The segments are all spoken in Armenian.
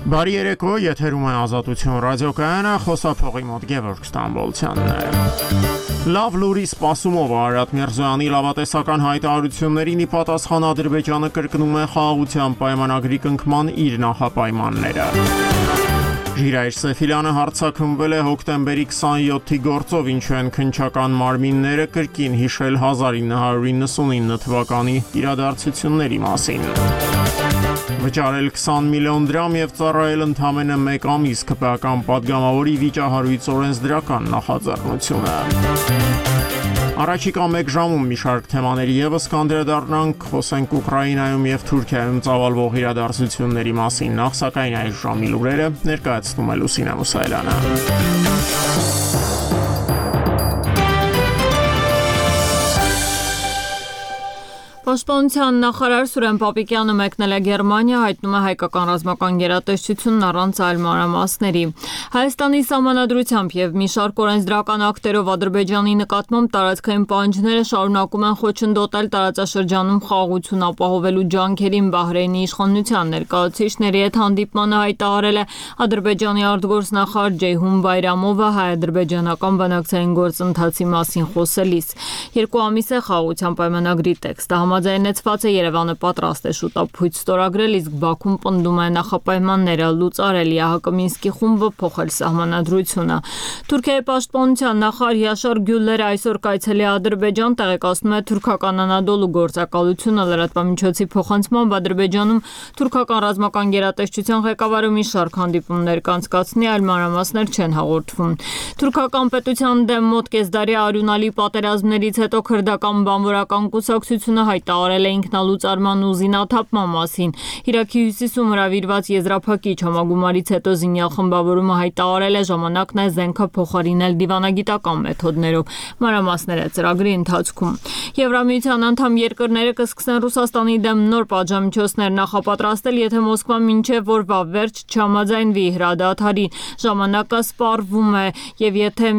Բարի երեկո, եթերում է Ազատություն ռադիոկայանը, խոսափողի մոտ Գևորգ Ստամբոլցյանն է։ Լավ լուրի սպասումով Արարատ Միրզոյանի լավատեսական հայտարարություններին ի պատասխան Ադրբեջանը կրկնում է խաղաղության պայմանագրի կնքման իր նախապայմանները։ Ժիրայր Սեֆիլյանը հարձակվել է հոկտեմբերի 27-ի գործով, ինչու են քննչական մարմինները կրկին հիշել 1999 թվականի իրադարձությունների մասին։ Վճարել 20 միլիոն դրամ եւ ծառայել ընդամենը 1 ամիս ԿՊԱ-ական պատգամավորի վիճահարույց օրենսդրական նախաձեռնությունը։ Առաջիկա 1 ժամում մի շարք թեմաների եւս կանդրադառնանք, խոսենք Ուկրաինայում եւ Թուրքիայում ծավալվող իրադարձությունների մասին, նախ սակայն այս ժամի լուրերը ներկայացնում է Լուսինե Մուսայելյանը։ Պաշտպանության նախարար Սուրեն Պապիկյանը մեկնել է Գերմանիա, հայտնում է հայկական ռազմական գերատեսչությունն առանց այլ մանրամասների։ Հայաստանի սահմանադրությամբ եւ մի շարք օրենսդրական ակտերով Ադրբեջանի նկատմամբ տարածքային պահանջները շարունակում են խոչընդոտել տարածաշրջանում խաղաղություն ապահովելու ջանքերին Բահրեյնի իշխանության ներկայացուցիչների հետ հանդիպմանը հայտարարել է Ադրբեջանի արտգործնախարար Ջեյհուն Բայրամովը հայ-ադրբեջանական բանակցային գործընթացի մասին խոսելիս։ 2 ամիս է խաղաղության պայմանագրի տեքստը համաձայնեցված է, Երևանը պատրաստ է շուտապույտ ստորագրել, իսկ Բաքուն պնդում է նախապայմանները լուծարել, ԵԱՀԿ Մինսկի խումբը փոխել սահմանադրությունը։ Թուրքիայի պաշտպանության նախարար Յաշար Գյուլլերը այսօր կայցելի է Ադրբեջան, տեղեկացնում է թուրքական Անադոլու գործակալությունը լրատվամիջոցի փոխանցմամբ Ադրբեջանում թուրքական ռազմական գերատեսչության ղեկավարը մի շարք հանդիպումներ կանցկացնի, այլ մանրամասներ չեն հաղորդվում։ Թուրքական պետության դեմ մոտ կեսդարի արյունալի պատերազմներից հետո քրդական բանվորական կուսակցությունը հայտարարել է ինքնալուծարման ու զինաթափման մասին։ Իրաքի հյուսիսում հրավիրված եզրափակիչ համագումարից հետո զինյալ խմբավորումը հայտարարել է ժամանակն է զենքը փոխարինել դիվանագիտական մեթոդներով։ Մանրամասները ծրագրի ընթացքում։ Եվրամիության անդամ երկրները կսկսեն Ռուսաստանի դեմ նոր պատժամիջոցներ նախապատրաստել, եթե Մոսկվան մինչև օրվա վերջ չհամաձայնվի հրադադարի։ Ժամանակը սպառվում է, եւ եթե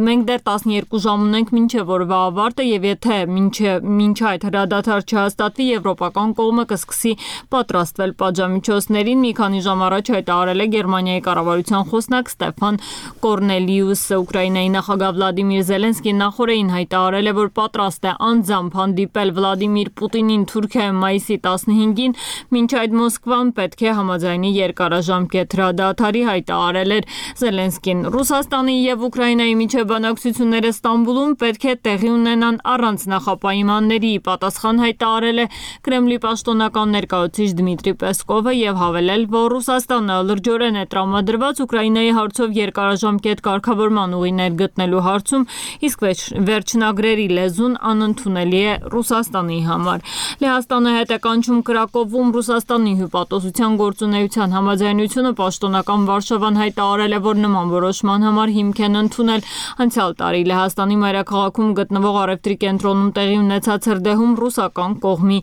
մենք դեռ 12 ժամ ունենք մինչև օրվա ավարտը, եւ եթե մինչ այդ հրադադար չհաստատվի, եվրոպական կողմը կսկսի պատրաստվել պատժամիջոցներին։ Մի քանի ժամ առաջ հայտարարել է Գերմանիայի կառավարության խոսնակ Ստեփան Կորնելիուսը։ Ուկրաինայի նախագահ Վլադիմիր Զելենսկին նախորդին հայտարարել է, որ պատրաստ է անձամբ հանդիպել Վլադիմիր Պուտինին Թուրքիայում մայիսի 15-ին, մինչ այդ Մոսկվան պետք է համաձայնի երկարաժամկետ հրադադարի, հայտարարել էր Զելենսկին։ Ռուսաստանի եւ Ուկրաինայի միջև բանակցությունները Ստամբուլում պետք է տեղի ունենան առանց նախապայմանների, պատասխան հայտարարել է Կրեմլի պաշտոնական ներկայացուցիչ Դմիտրի Պեսկովը եւ հավելել, որ Ռուսաստանը լրջորեն է տրամադրված Ուկրաինայի հարցով երկարաժամկետ կարգավորման ուղիներ գտնելու հարցում, իսկ վերջնագրերի լեզուն անընդունելի է Ռուսաստանի համար։ Լեհաստանը հետ է կանչում Կրակովում Ռուսաստանի հյուպատոսության գործունեության համաձայնությունը, պաշտոնական Վարշավան հայտարարել է, որ նման որոշման համար հիմք են ընդունել անցյալ տարի Լեհաստանի մայրաքաղաքում գտնվող առևտրի կենտրոնում տեղի ունեցած հրդեհում ռուսական կողմի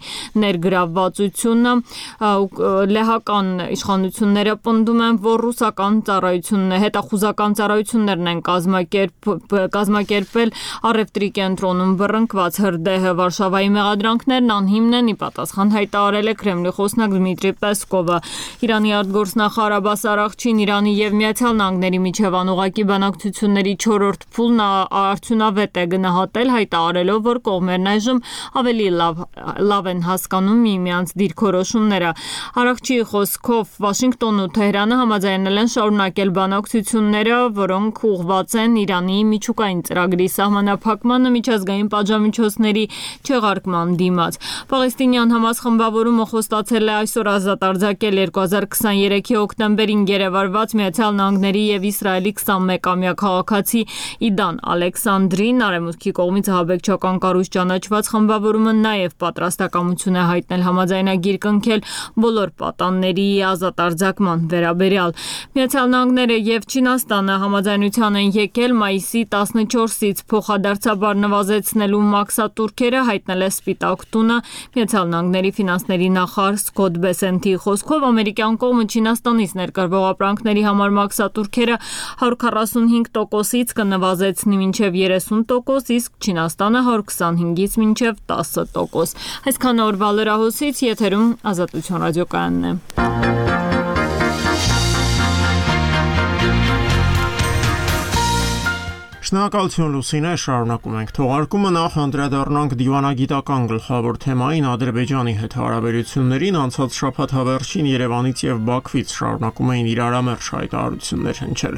ներգրավվածությունը։ Լեհական իշխանությունները պնդում են, որ ռուսական հետախուզական ծառայություններն են կազմակերպել առևտրի կենտրոնում բռնկված հրդեհը։ Վարշավայի մեղադրանքներն անհիմն են, ի պատասխան հայտարարել է Կրեմլի խոսնակ Դմիտրի Պեսկովը։ Իրանի արտգործնախարար Աբբաս Արաղչին Իրանի եւ Միացյալ Նահանգների միջև անուղղակի բանակցությունների 4-րդ փուլն արդյունավետ է գնահատել, հայտարարելով, որ կողմերն այժմ ավելի լավ են հասկանում միմյանց դիրքորոշումները։ Արաղչիի խոսքով Վաշինգտոնն ու Թեհրանը համաձայնել են շարունակել բանակցությունները, որոնք ուղղված են Իրանի միջուկային ծրագրի սահմանափակմանը, միջազգային պատժամիջոցների չեղարկման դիմաց։ Պաղեստինյան Համաս խմբավորումը խոստացել է այսօր ազատ արձակել 2023-ի հոկտեմբերին գերեվարված Միացյալ Նահանգների եւ Իսրայելի 21-ամյա քաղաքացի Իդան Ալեքսանդրին։ Արևմուտքի կողմից ահաբեկչական կառույց ճանաչված խմբավորումը նաև պատրաստակամություն է հայտնել համաձայնագիր կնքել բոլոր պատանների ազատ արձակման վերաբերյալ։ Միացյալ Նահանգները եւ Չինաստանը համաձայնության են եկել մայիսի 14-ից փոխադարձաբար նվազեցնելու մաքսատուրքերը, հայտնել է Սպիտակ տունը։ Միացյալ Նահանգների ֆինանսների նախարար Սկոտ Բեսենթի խոսքով ամերիկյան կողմը Չինաստանից ներկրվող ապրանքների համար մաքսատուրքերը 145%-ից կնվազեցնի մինչև 30%, իսկ Չինաստանը 125-ից մինչև 10%։ Այսքան օրվա լրահոսից եթերում Ազատություն ռադիոկայանն է։ Շնորհակալություն Լուսինե, շարունակում ենք թողարկումը, նախ անդրադառնանք դիվանագիտական գլխավոր թեմային Ադրբեջանի հետ հարաբերություններին, անցած շաբաթ հավերժին Երևանից եւ Բաքվից շարունակում էին իրարամերժ հայտարարություններ հնչել։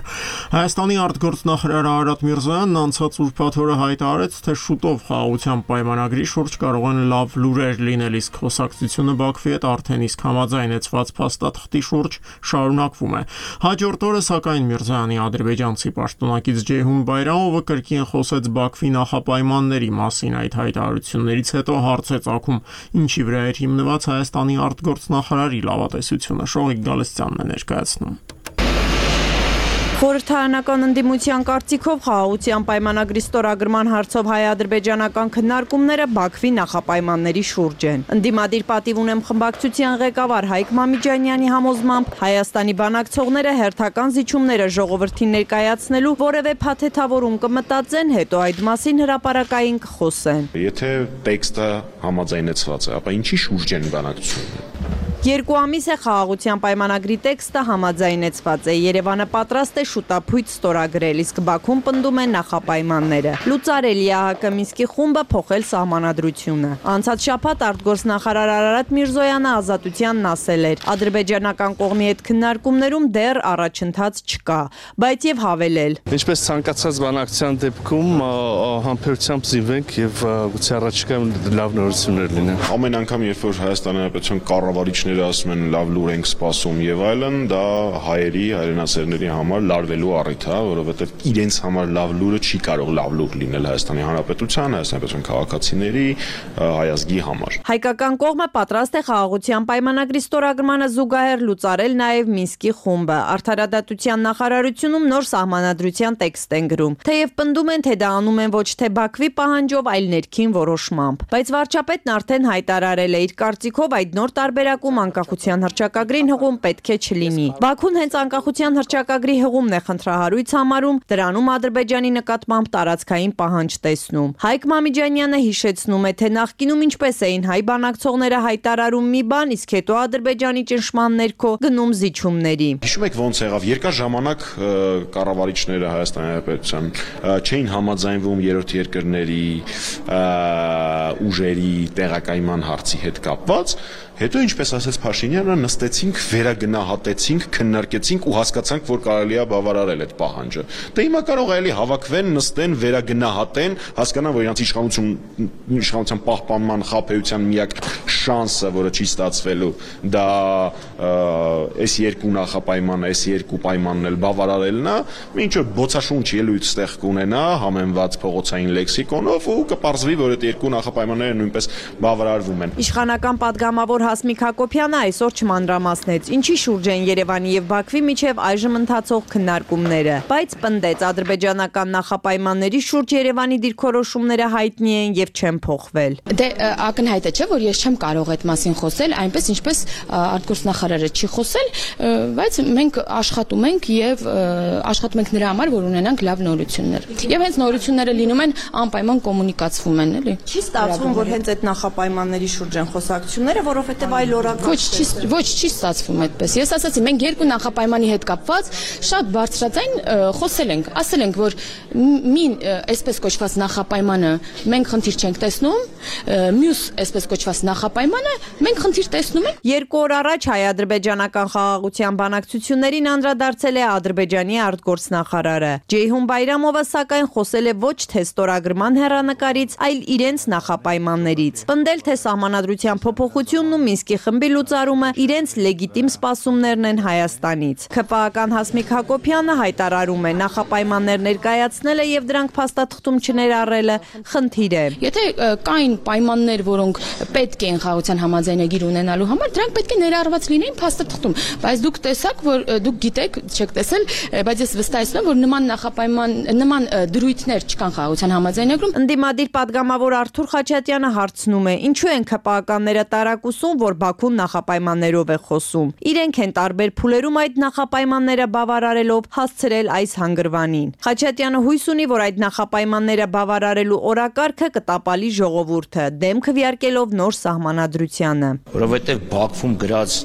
Հայաստանի արտգործնախարար Արարատ Միրզոյանն անցած ուրբաթ օրը հայտարարեց, թե շուտով խաղաղության պայմանագրի շուրջ կարող են լավ լուրեր լինել, իսկ խոսակցությունը Բաքվի հետ արդեն իսկ համաձայնեցված փաստաթղթի շուրջ շարունակվում է։ Հաջորդ օրը սակայն Միրզոյանի ադրբեջանցի պաշտոնակից Ջեյհուն Բայրամովը կրկին խոսեց Բաքվի նախապայմանների մասին։ Այդ հայտարարություններից հետո հարց է ծագում, ինչի վրա էր հիմնված Հայաստանի արտգործնախարարի լավատեսությունը։ Շողիկ Գալստյանն է ներկայացնում։ Խորհրդարանական ընդդիմության կարծիքով խաղաղության պայմանագրի ստորագրման հարցով հայ-ադրբեջանական քննարկումները Բաքվի նախապայմանների շուրջ են։ Ընդդիմադիր պատիվ ունեմ խմբակցության ղեկավար Հայկ Մամիջանյանի համոզմամբ Հայաստանի բանակցողները հերթական զիջումները ժողովրդին ներկայացնելու որևէ փաթեթավորում կմտածեն, հետո այդ մասին հրապարակային կխոսեն։ Եթե տեքստը համաձայնեցված է, ապա ինչի շուրջ են բանակցությունները։ 2 ամիս է խաղաղության պայմանագրի տեքստը համաձայնեցված է։ Երևանը պատրաստ է շուտափույթ ստորագրել, իսկ Բաքուն պնդում է նախապայմանները։ Լուծարելի է ՀՀԿ Մինսկի խումբը փոխել սահմանադրությունը։ Անցած շաբաթ արտգործնախարար Արարատ Միրզոյանը Ազատությանն ասել էր. ադրբեջանական կողմի հետ քննարկումներում դեռ առաջընթաց չկա, բայց եւ հավելել. Ինչպես ցանկացած բանակցության դեպքում համբերությամբ զինվենք եւ գուցե առաջիկայում լավ նորություններ լինեն։ Ամեն անգամ, երբ որ Հայաստանի Հանրապետության կառավարիչները ասում են լավ լուր ենք սպասում եւ այլն, դա հայերի, հայրենասերների համար լարվելու առիթ է, որովհետեւ իրենց համար լավ լուրը չի կարող լավ լուր լինել Հայաստանի Հանրապետության, Հայաստանի քաղաքացիների, հայ ազգի համար։ Հայկական կողմը պատրաստ է խաղաղության պայմանագրի ստորագրմանը զուգահեռ լուծարել նաեւ Մինսկի խումբը։ Արդարադատության նախարարությունում նոր սահմանադրության տեքստ են գրում։ Թեև պնդում են, թե դա անում են ոչ թե Բաքվի պահանջով, այլ ներքին որոշմամբ։ Բայց վարչապետն արդեն հայտարարել է իր կարծիքով այդ նոր տարբերակում անկախության հռչակագրին հղում պետք է չլինի։ Բաքուն հենց անկախության հռչակագրի հղումն է խնդրահարույց համարում, դրանում Ադրբեջանի նկատմամբ տարածքային պահանջ տեսնում։ Հայկ Մամիջանյանը հիշեցնում է, թե նախկինում ինչպես էին հայ բանակցողները հայտարարում մի բան, իսկ հետո Ադրբեջանի ճնշման ներքո գնում զիջումների։ Հիշում եք ոնց եղավ, երկար ժամանակ կառավարիչները Հայաստանի Հանրապետության չէին համաձայնվում երրորդ երկրների ուժերի տեղակայման հարցի հետ կապված, հետո ինչպես ասաց Փաշինյանը, նստեցինք, վերագնահատեցինք, քննարկեցինք ու հասկացանք, որ կարելի է բավարարել այդ պահանջը։ Դե հիմա կարող է էլի հավաքվեն, նստեն, վերագնահատեն, հասկանան, որ իրանց իշխանության պահպանման խաբեության միակ շանսը, որը չի ստացվելու, դա այս երկու նախապայմանը, այս երկու պայմանն էլ բավարարելն է, ինչ որ բոցաշունչ ելույթ ստեղ կունենա համեմված փողոցային լեքսիկոնով ու կպարզվի, որ այդ երկու նախապայմանները նույնպես բավարարվում են։ Իշխանական падգամավոր Հասմիկ Հակոբյանը այսօր չմանրամասնեց, ինչի շուրջ են Երևանի եւ Բաքվի միջև այժմ ընթացող քննարկումները, բայց պնդեց ադրբեջանական նախապայմանների շուրջ Երևանի դիրքորոշումները հայտնի են եւ չեն փոխվել։ Դե ակնհայտ է, չէ, որ ես չեմ կարող այդ մասին խոսել, այնպես ինչպես արտգործնախարարը չի խոսել, բայց մենք աշխատում ենք եւ աշխատում ենք նրա համար, որ ունենանք լավ նորություններ։ Եվ հենց նորությունները լինում են անպայման կոմունիկացվում են, էլի։ Չի ստացվում, որ հենց այդ նախապայմանների շուրջ են խոսակցությունները, որովհետեւ այլ օրական Ոչ, չի ստացվում այդպես։ Ես ասացի, մենք երկու նախապայմանի հետ կապված շատ բարձրաձայն խոսել ենք, ասել ենք, որ այսպես կոչված նախապայմանը մենք խնդիր չենք տեսնում, մյուս այսպես կոչված նախապայմանը մենք խնդիր տեսնում ենք։ 2 օր առաջ հայ-ադրբեջանական խաղաղության բանակցություններին անդրադարձել է Ադրբեջանի արտգործնախարարը։ Ջեյհուն Բայրամովը սակայն խոսել է ոչ թե ստորագրման հեռանկարից, այլ իրենց նախապայմաններից։ Պնդել, թե սահմանադրության փոփոխությունն ու Մինսկի խմբի լուծարումը իրենց լեգիտիմ սպասումներն են Հայաստանից։ ՔՊԱ-ական Հասմիկ Հակոբյանը հայտարարում է, նախապայմաններ ներկայացնելը եւ դրանք փաստաթղթում չներառելը խնդիր է։ Եթե կային պայմաններ, որոնք պետք են խաղաղության համաձայնագիր ունենալու համար, դրանք պետք է ներառված լինեին փաստաթղթում, բայց դուք տեսաք, որ դուք գիտեք, չեք տեսել, բայց ես վստահեցնում եմ, որ նման դրույթներ չկան խաղաղության համաձայնագրում։ Ընդդիմադիր падգամավոր Արթուր Խաչատյանը հարցնում է, ինչու են ՔՊԱ-ականները տարակուսում, որ Բաքուն նախապայմաններով է խոսում։ Իրենք են տարբեր փուլերում այդ նախապայմանները բավարարելով հասցրել այս հանգրվանին։ Խաչատյանը հույս ունի, որ այդ նախապայմանները բավարարելու օրակարգը կտապալի ժողովուրդը, դեմ քվեարկելով նոր սահմանադրությանը։ Որովհետև Բաքվում գրած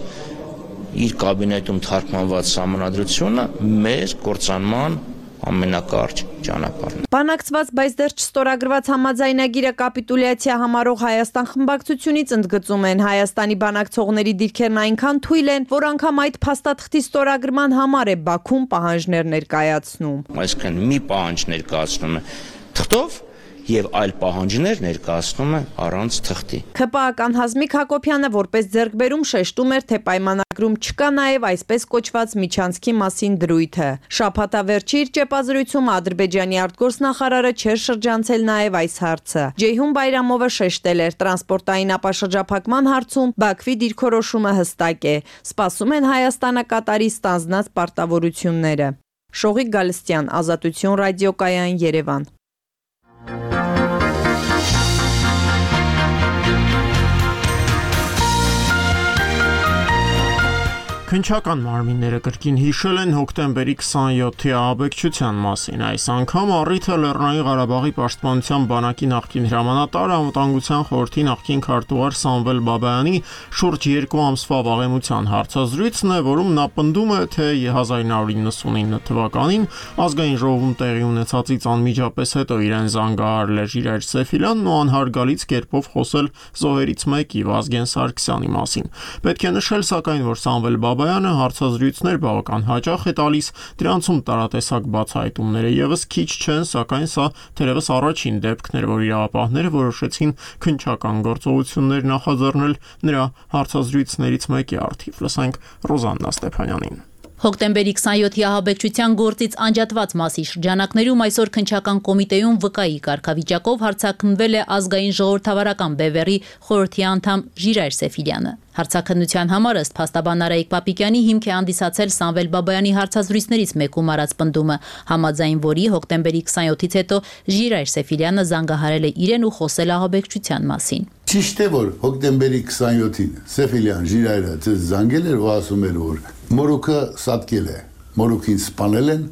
իր կաբինետում թարգմանված սահմանադրությունը մեր կործանման ամենակարճ ճանապարհն։ Բանակցված, բայց դեռ չստորագրված համաձայնագիրը կապիտուլյացիա համարող Հայաստան խմբակցությունից ընդգծում են Հայաստանի բանակցողների դիրքերն այնքան թույլ են, որ անգամ այդ փաստաթղթի ստորագրման համար է Բաքուն պահանջներ ներկայացնում։ Այսինքն մի պահանջ ներկայացնում է թղթով եւ այլ պահանջներ ներկայացնում է առանց թղթի։ ՔՊԱ-ական Հազմիկ Հակոբյանը որպես ձեռքբերում շեշտում էր, թե պայմանագրում չկա նաև այսպես կոչված միջանցքի մասին դրույթը։ Շաբաթավերջի իր ճեպազրույցում Ադրբեջանի արտգործնախարարը չէր շրջանցել նաև այս հարցը։ Ջեյհուն Բայրամովը շեշտել էր, տրանսպորտային ապաշրջափակման հարցում Բաքվի դիրքորոշումը հստակ է։ Սպասում են Հայաստանը Կատարի ստանձնած պարտավորությունները։ Շողիկ Գալստյան, Ազատություն ռադիոկայան, Երևան։ Քնչական մարմինները կրկին հիշել են հոկտեմբերի 27-ի ահաբեկչության մասին։ Այս անգամ առիթը Լեռնային Ղարաբաղի պաշտպանության բանակի նախկին հրամանատար, անվտանգության խորհրդի նախկին քարտուղար Սամվել Բաբայանի շուրջ 2 ամսվա վաղեմության հարցազրույցն է, որում նա պնդում է, թե 1999 թվականին ազգային ժողովում տեղի ունեցածից անմիջապես հետո իրեն զանգահարել է Ժիրայր Սեֆիլյանն ու անհարգալից կերպով խոսել զոհերից մեկի Վազգեն Սարգսյանի մասին։ Պետք է նշել, սակայն, որ Սամվել Բաբայանը հարցազրույցներ բավական հաճախ է տալիս, դրանցում տարատեսակ բացահայտումները եւս քիչ չեն, սակայն սա թերևս առաջին դեպքն էր, որ իրավապահները որոշեցին քնչական գործողություններ նախաձեռնել նրա հարցազրույցներից մեկի առթիվ։ Լսենք Ռոզաննա Ստեփանյանին։ Հոկտեմբերի 27-ի ահաբեկչության գործից անջատված մասի շրջանակներում այսօր քնչական կոմիտեում վկայի կարգավիճակով հարցաքննվել է ազգային ժողովրդավարական բևեռի խորհրդի անդամ Ժիրայր Սեֆիլյանը։ Հարցաքննության համար ըստ փաստաբան Արայիկ Պապիկյանի հիմք է հանդիսացել Սամվել Բաբայանի հարցազրույցներից մեկում արած պնդումը, համաձայն որի հոկտեմբերի 27-ից հետո Ժիրայր Սեֆիլյանը զանգահարել է իրեն ու խոսել ահաբեկչության մասին։ Ճիշտ է, որ հոկտեմբերի 27-ին Սեֆիլյան Ժիրայրը զանգել էր ու ասում էր, որ մորուքը սատկել է, մորուքին սպանել են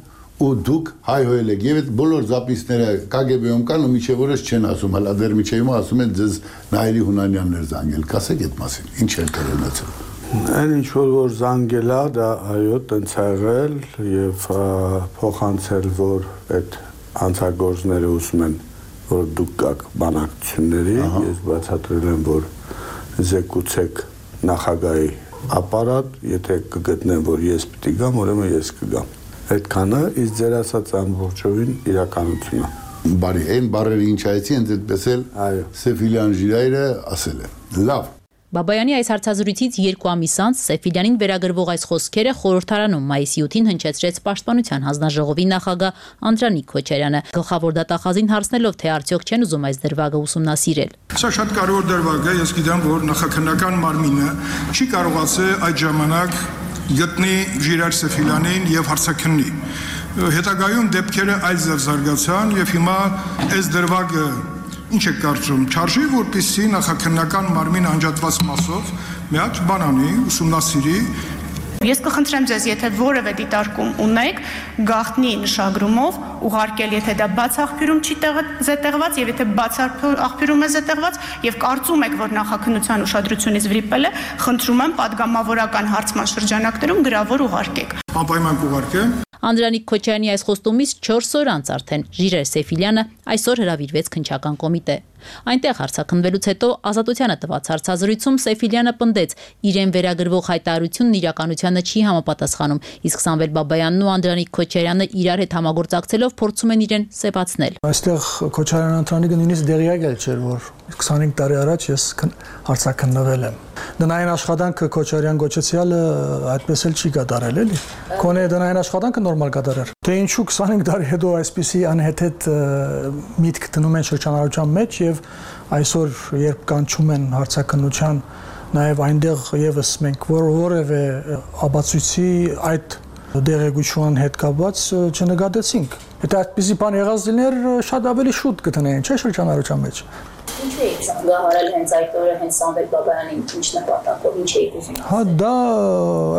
ու դուք հայհոյել եք եւ այդ բոլոր զապիսները KGB-ում կան ու միջև օրս չեն ասում, հələ դեռ միջև ասում են ձեզ Նայիրի Հունանյանն էր զանգել, կասեք այդ մասին, ինչ էր կրնացել։ Այն ինչ որ զանգել է, դա այո, տենց ա եղել եւ փոխանցել, որ այդ հանցագործները ուզում են, որ դուք կաք բանակցությունների, ես բացատրել եմ, որ զեկուցեք նախագահի ապարատ, եթե կգտնեմ, որ ես պիտի գամ, ուրեմն ես կգամ։ Այդքանը իսկ ձեր ասած ամբողջովին իրականությունն է։ Բարի, այն բառերը ինչ այցի են այդպես էլ Սեֆիլյան Ժիրայրը ասել է։ Լավ։ Բաբայանի այս հարցազրույցից 2 ամիս անց Սեֆիլյանին վերագրվող այս խոսքերը խորհրդարանում մայիսի 8-ին հնչեցրեց Պաշտպանության հանձնաժողովի նախագահ Անդրանիկ Քոչարյանը, գլխավոր դատախազին հարցնելով, թե արդյոք չեն ուզում այս դրվագը ուսումնասիրել։ Սա շատ կարևոր դրվագ է, ես գիտեմ, որ նախաքննական մարմինը չի կարողացել այդ ժամանակ գտնի Ժիրայր Սեֆիլյանին եւ հարցաքննի։ Հետագայում դեպքերը այլ զարգացան եւ հիմա այս դրվագը ինչ է կարծում, չարժի, որպեսզի նախաքննական մարմին անջատված մասով մի հատ բան անի, ուսումնասիրի։ Ես կխնդրեմ ձեզ, եթե որևէ դիտարկում ունեք, գաղտնի նշագրումով ուղարկել, եթե դա բաց աղբյուրում չի զետեղված եւ եթե բաց աղբյուրում է զետեղված եւ կարծում եք, որ նախաքննության ուշադրությունից վրիպել է, խնդրում եմ պատգամավորական հարցման շրջանակներում գրավոր ուղարկեք։ Անպայման կուղարկեմ։ Անդրանիկ Քոչարյանի այս խոստումից 4 օր անց արդեն Ժիրայր Սեֆիլյանը այսօր հրավիրվեց քնչական կոմիտե։ Այնտեղ հարցաքննվելուց հետո Ազատությանը տված հարցազրույցում Սեֆիլյանը պնդեց, իրեն վերագրվող հայտարարությունն իրականությանը չի համապատասխանում, իսկ Սամվել Բաբայանն ու Անդրանիկ Քոչարյանը իրար հետ համագործակցելով փորձում են իրեն սեպացնել։ Այստեղ Քոչարյան Անդրանիկը նույնիսկ դեղյակ էլ չէր, որ 25 տարի առաջ ես հարցաքննվել եմ։ Դնային աշխատանքը Քոչարյան գոչեցյալը այդպես էլ չի կատարել, էլի։ Կոնե դնային աշխատանքը նորմալ կատարեր։ Թե ինչու 25 տարի հետո այսպիսի անհեթեթ միտք դնում են շրջանառության մեջ եւ այսօր երբ կանչում են հարցաքննության, նաեւ այնտեղ եւս մենք որևէ ապացույցի այդ դեղեցության հետ կապված չնկատեցինք։ Եթե այդպիսի բան եղած լիներ, շատ ավելի շուտ կտնեին, չէ՞ շրջանառության մեջ։ Ինչու եք զանգահարել հենց այդ օրը հենց Սամվել Բաբայանին, ինչ նպատակով, ինչ եք ուզում։ Հա, դա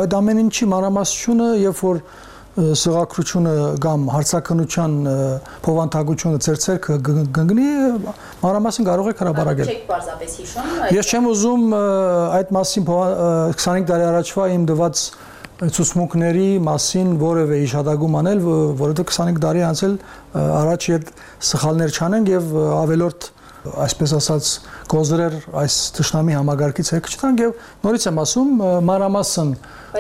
այդ ամեն ինչի մանրամասնությունը, երբ որ սղագրությունը կամ հարցաքննության փոխանցագությունը ծերծերքը գնգնի, մանրամասն կարող եք հրապարակել։ Չեք պարզապես հիշում։ Ես չեմ ուզում այդ մասին 25 տարի առաջվա իմ դված ցուցմունքների մասին որևէ իշադագում անել, որովհետեւ 25 տարի անցել առաջ այդ սխալներ չանենք եւ ավելորդ այսպես ասած գոզրեր այս ճշնամի համագարկից հետ չտանք եւ նորից եմ ասում մանրամասն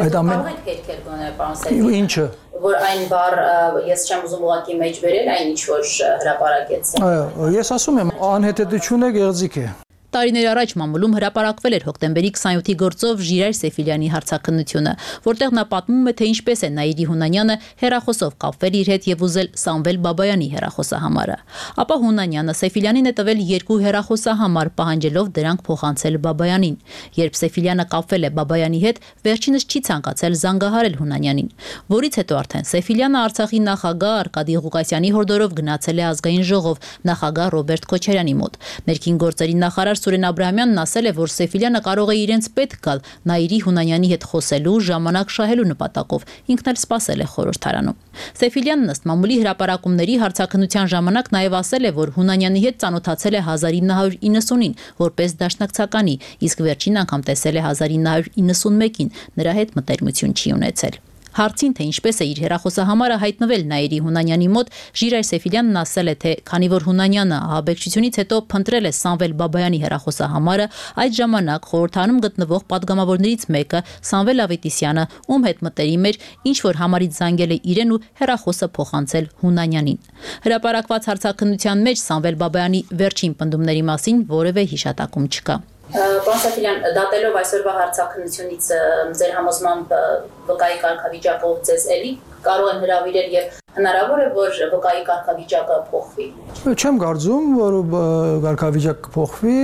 այդ ամեն հետքեր գոնե պարոն Սերգեյ ինչը որ այն բառ ես չեմ ուզում ուղղակի մեջ բերել այն ինչ որ հրապարակեց այո ես ասում եմ անհետեթությունը գեղձիկ է Տարիներ առաջ մամուլում հրապարակվել էր հոկտեմբերի 27-ի գործով Ժիրայր Սեֆիլյանի հարցաքննությունը, որտեղ նա պատմում է, թե ինչպես է Նաիրի Հունանյանը հեռախոսով կապվել իր հետ եւ ուզել Սամվել Բաբայանի հեռախոսահամարը։ Ապա Հունանյանը Սեֆիլյանին է տվել 2 հեռախոսահամար, պահանջելով դրանք փոխանցել Բաբայանին։ Երբ Սեֆիլյանը կապվել է Բաբայանի հետ, վերջինս չի ցանկացել զանգահարել Հունանյանին, որից հետո արդեն Սեֆիլյանը Արցախի նախագահ Արկադի Ղուկասյանի հորդորով գնացել է ազգային ժողով նախագահ Ռոբերտ Քոչարյանի մոտ։ Ներքին գործերի նախարար Սուրեն Աբրահամյանն ասել է, որ Սեֆիլյանը կարող է իրենց պետք գալ Նաիրի Հունանյանի հետ խոսելու, ժամանակ շահելու նպատակով, ինքն էլ սպասել է խորհրդարանում։ Սեֆիլյանն ըստ մամուլի հրապարակումների հարցաքննության ժամանակ նաև ասել է, որ Հունանյանի հետ ծանոթացել է 1990-ին որպես դաշնակցականի, իսկ վերջին անգամ տեսել է 1991-ին, նրա հետ մտերմություն չի ունեցել։ Հարցին, թե ինչպես է իր հեռախոսահամարը հայտնվել Նաիրի Հունանյանի մոտ, Ժիրայր Սեֆիլյանն ասել է, թե քանի որ Հունանյանը ահաբեկչությունից հետո փնտրել է Սամվել Բաբայանի հեռախոսահամարը, այդ ժամանակ խորհրդանում գտնվող պատգամավորներից մեկը Սամվել Ավետիսյանը, ում հետ մտերիմ էր, ինչ որ համարից զանգել է իրեն ու հեռախոսը փոխանցել Հունանյանին։ Հրապարակված հարցաքննության մեջ Սամվել Բաբայանի վերջին պնդումների մասին որևէ հիշատակում չկա։ Պարոն Սեֆիլյան, դատելով այսօրվա հարցաքննությունից ձեր համոզմամբ վկայի կարգավիճակով ձեզ էլի կարող են հրավիրել եւ հնարավոր է որ վկայի կարգավիճակը փոխվի։ Չեմ կարծում, որ կարգավիճակը փոխվի,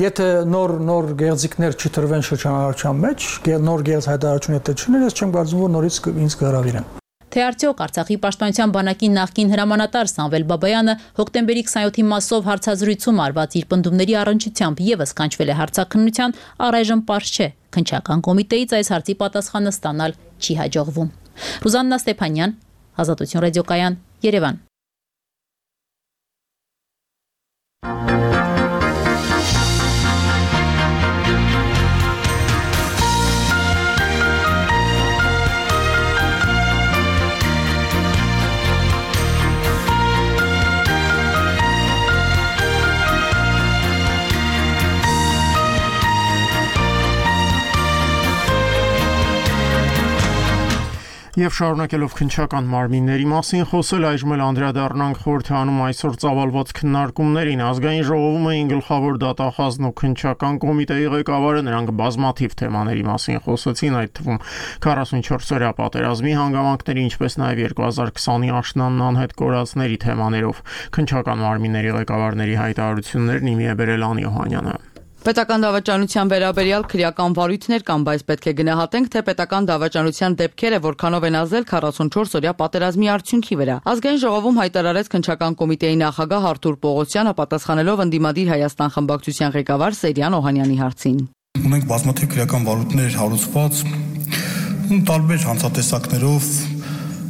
եթե նոր գեղձիկներ չտրվեն շրջանառության մեջ, նոր գեղձ հայտարարություն եթե չներ, ես չեմ կարծում, որ նորից ինձ կհրավիրեն։ Թե արդյոք Արցախի պաշտպանության բանակի նախկին հրամանատար Սամվել Բաբայանը հոկտեմբերի 27-ի մասով հարցազրույցում արված իր պնդումների առնչությամբ եւս կանչվել է հարցաքննության, առայժմ պարզ չէ։ Քննչական կոմիտեից այս հարցի պատասխանը ստանալ չի հաջողվում։ Ռուզաննա Ստեփանյան, Ազատություն ռադիոկայան, Երևան։ Եվ շարունակելով քննչական մարմինների մասին խոսել, այժմ էլ անդրադառնանք խորհրդանում այսօր ծավալված քննարկումներին։ Ազգային ժողովում էին գլխավոր դատախազն ու քննչական կոմիտեի ղեկավարը, նրանք բազմաթիվ թեմաների մասին խոսեցին, այդ թվում 44-օրյա պատերազմի հանգամանքների, ինչպես նաև 2020-ի աշնանն անհետ կորածների թեմաներով։ Քննչական մարմինների ղեկավարների հայտարարություններն իմի է բերել Անի Օհանյանը։ Պետական դավաճանության վերաբերյալ քրեական վարույթներ կան, բայց պետք է գնահատենք, թե պետական դավաճանության դեպքերը որքանով են ազդել 44-օրյա պատերազմի արդյունքի վրա։ Ազգային ժողովում հայտարարեց քննչական կոմիտեի նախագահ Արթուր Պողոսյանը, պատասխանելով ընդդիմադիր Հայաստան խմբակցության ղեկավար Սերյան Օհանյանի հարցին։ Ունենք բազմաթիվ քրեական վարույթներ հարուցված տարբեր հանցատեսակներով,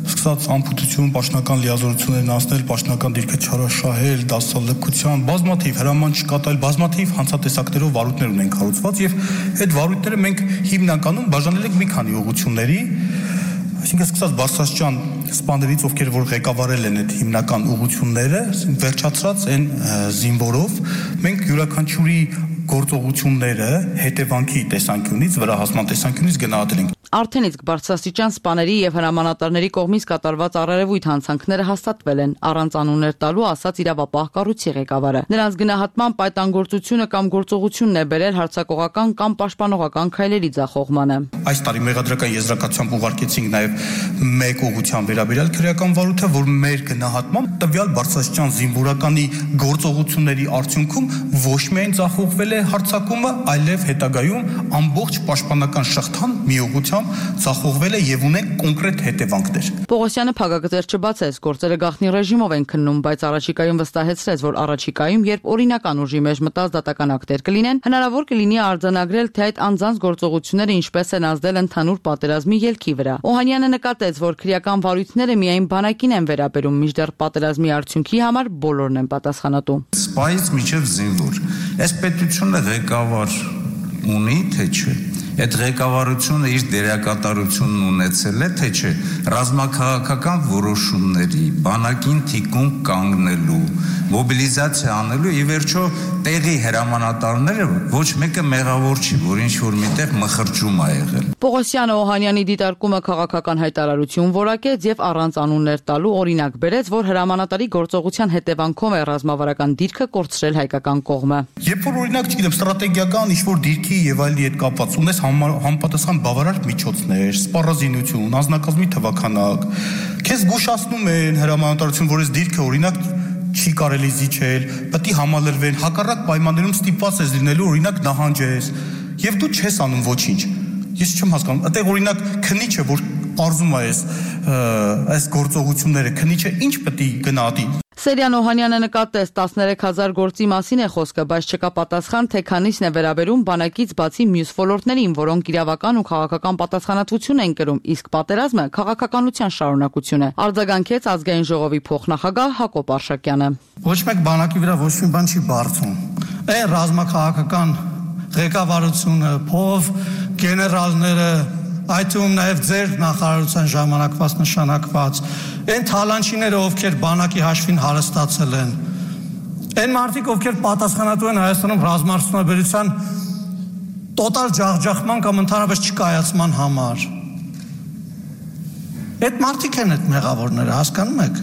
սկսած անփութություն, պաշտոնական լիազորություններն անցնել, պաշտոնական դիրքը չարաշահել, դասալքության, բազմաթիվ հրաման չկատարել, բազմաթիվ հանցատեսակներով վարույթներ ունենք հարուցված եւ այդ վարույթները մենք հիմնականում բաժանել ենք մի քանի ուղղությունների, այսինքն սկսած բարձրաստիճան սպաներից, ովքեր որ ղեկավարել են այդ հիմնական ուղղությունները, վերջացրած այն զինվորով, մենք յուրաքանչյուրի գործողությունները հետևանքի տեսանկյունից, վրահասման տեսանկյունից գնահատել ենք։ Արդեն իսկ բարձրաստիճան սպաների եւ հրամանատարների կողմից կատարված առերևույթ հանցանքները հաստատվել են, առանց անուններ տալու ասաց իրավապահ կառույցի ղեկավարը։ Նրանց գնահատմամբ պայտանգործությունը կամ գործողությունն է բերել հարձակողական կամ պաշտպանողական քայլերի ձախողմանը։ Այս տարի մեղադրական եզրակացությամբ ուղարկեցինք նաեւ մեկ ուղղության վերաբերյալ քրեական վարույթը, որ մեր գնահատմամբ տվյալ բարձրաստիճան զինվորականի գործողությունների արդյունքում ոչ միայն ձախողվել է հարձակումը, այլև հետագայում ամբողջ պաշտպանական շղթան մի ուղղությամբ ձախողվել է եւ ունեն կոնկրետ հետևանքներ։ Պողոսյանը փակագծեր չբացեց, գործերը գաղտնի ռեժիմով են քննում, բայց առաջիկայում վստահեցրեց, որ առաջիկայում, երբ օրինական ուժի մեջ մտած դատական ակտեր կլինեն, հնարավոր կլինի արձանագրել, թե այդ անձանց գործողությունները ինչպես են ազդել ընդհանուր պատերազմի ելքի վրա։ Օհանյանը նկատեց, որ քրեական վարույթները միայն բանակին են վերաբերում, մինչդեռ պատերազմի արդյունքի համար բոլորն են պատասխանատու։ Սպայից միջև զինվոր։ Այս պետությունը ղեկավար ունի, թե չէ։ Այդ ղեկավարությունը իր դերակատարությունն ունեցել է, թե չէ, ռազմաքաղաքական որոշումների, բանակին թիկունք կանգնելու, մոբիլիզացիա անելու, ի վերջո տեղի հրամանատարները ոչ մեկը մեղավոր չի, որ ինչ-որ միտեղ մխրճում ա եղել։ Պողոսյանը Օհանյանի դիտարկումը քաղաքական հայտարարություն որակեց եւ առանց անուններ տալու օրինակ բերեց, որ հրամանատարի գործողության հետևանքով է ռազմավարական դիրքը կորցրել հայկական կողմը։ Երբ որ օրինակ, չգիտեմ, ստրատեգիական ինչ-որ դիրքի եւ այլի հետ կապված ունես համապատասխան բավարար միջոցներ, սպառազինություն, անձնակազմի թվաքանակ, քեզ զգուշացնում են հրամանատարություն, որ այս դիրքը օրինակ չի կարելի զիջել, պետք է համալրվեն, հակառակ պայմաններում ստիպված ես լինելու օրինակ նահանջես, եւ դու չես անում ոչինչ։ Ես չեմ հասկանում, այդտեղ օրինակ քնիչը, որ արզում է այս գործողությունները, քնիչը ինչ պետք է գնահատի։ Սերյան Օհանյանը նկատեց 13000 գործի մասին է խոսքը, բայց չկա պատասխան, թե քանիսն է վերաբերում բանակից բացի մյուս ոլորտներին, որոնք իրավական ու քաղաքական պատասխանատվություն են կրում, իսկ պատերազմը քաղաքականության շարունակություն է։ Արձագանքեց ազգային ժողովի փոխնախագահ Հակոբ Արշակյանը։ Ոչ մեկ բանակի վրա ոչ մի բան չի բարձում։ Այն ռազմաքաղաքական ղեկավարությունը, փով գեներալները, այդ թվում նաև ձեր նախարարության ժամանակված նշանակված այն թալանչիները, ովքեր բանակի հաշվին հարստացել են, այն մարդիկ, ովքեր պատասխանատու են Հայաստանում ռազմարտունաբերության տոտալ ջախջախման կամ ընդհանրապես չկայացման համար, այդ մարդիկ են այդ մեղավորները, հասկանում եք,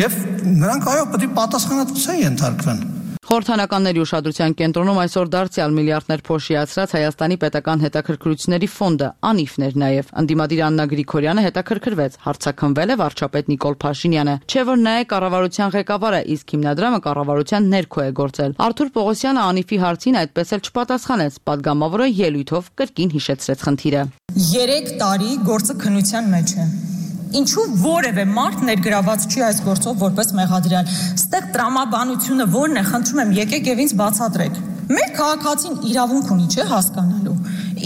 եւ նրանք այո պետք է պատասխանատվության ենթարկվեն։ Խորհրդանականների ուշադրության կենտրոնում այսօր դարձյալ միլիարդներ փոշիացրած Հայաստանի պետական հետաքրքրությունների ֆոնդը անիվն էր նաև։ Անդիմադիր Աննա Գրիգորյանը հետաքրքրվեց, հարցաքննվել է վարչապետ Նիկոլ Փաշինյանը, չէ որ նա է կառավարության ղեկավարը, իսկ հիմնադրամը կառավարության ներքո է գործել։ Արթուր Պողոսյանը անիվի հարցին այդպես էլ չպատասխանեց, պատգամավորը ելույթով կրկին հիշեցրեց խնդիրը։ 3 տարի գործը քննության մեջ է։ Ինչու որևէ մարդ ներգրաված չի այս գործով որպես մեղադրյալ։ Ստեղ տրամաբանությունը որն է, խնդրում եմ, եկեք եւ ինձ բացատրեք։ Մեր քաղաքացին իրավունք ունի, չէ, հասկանալու։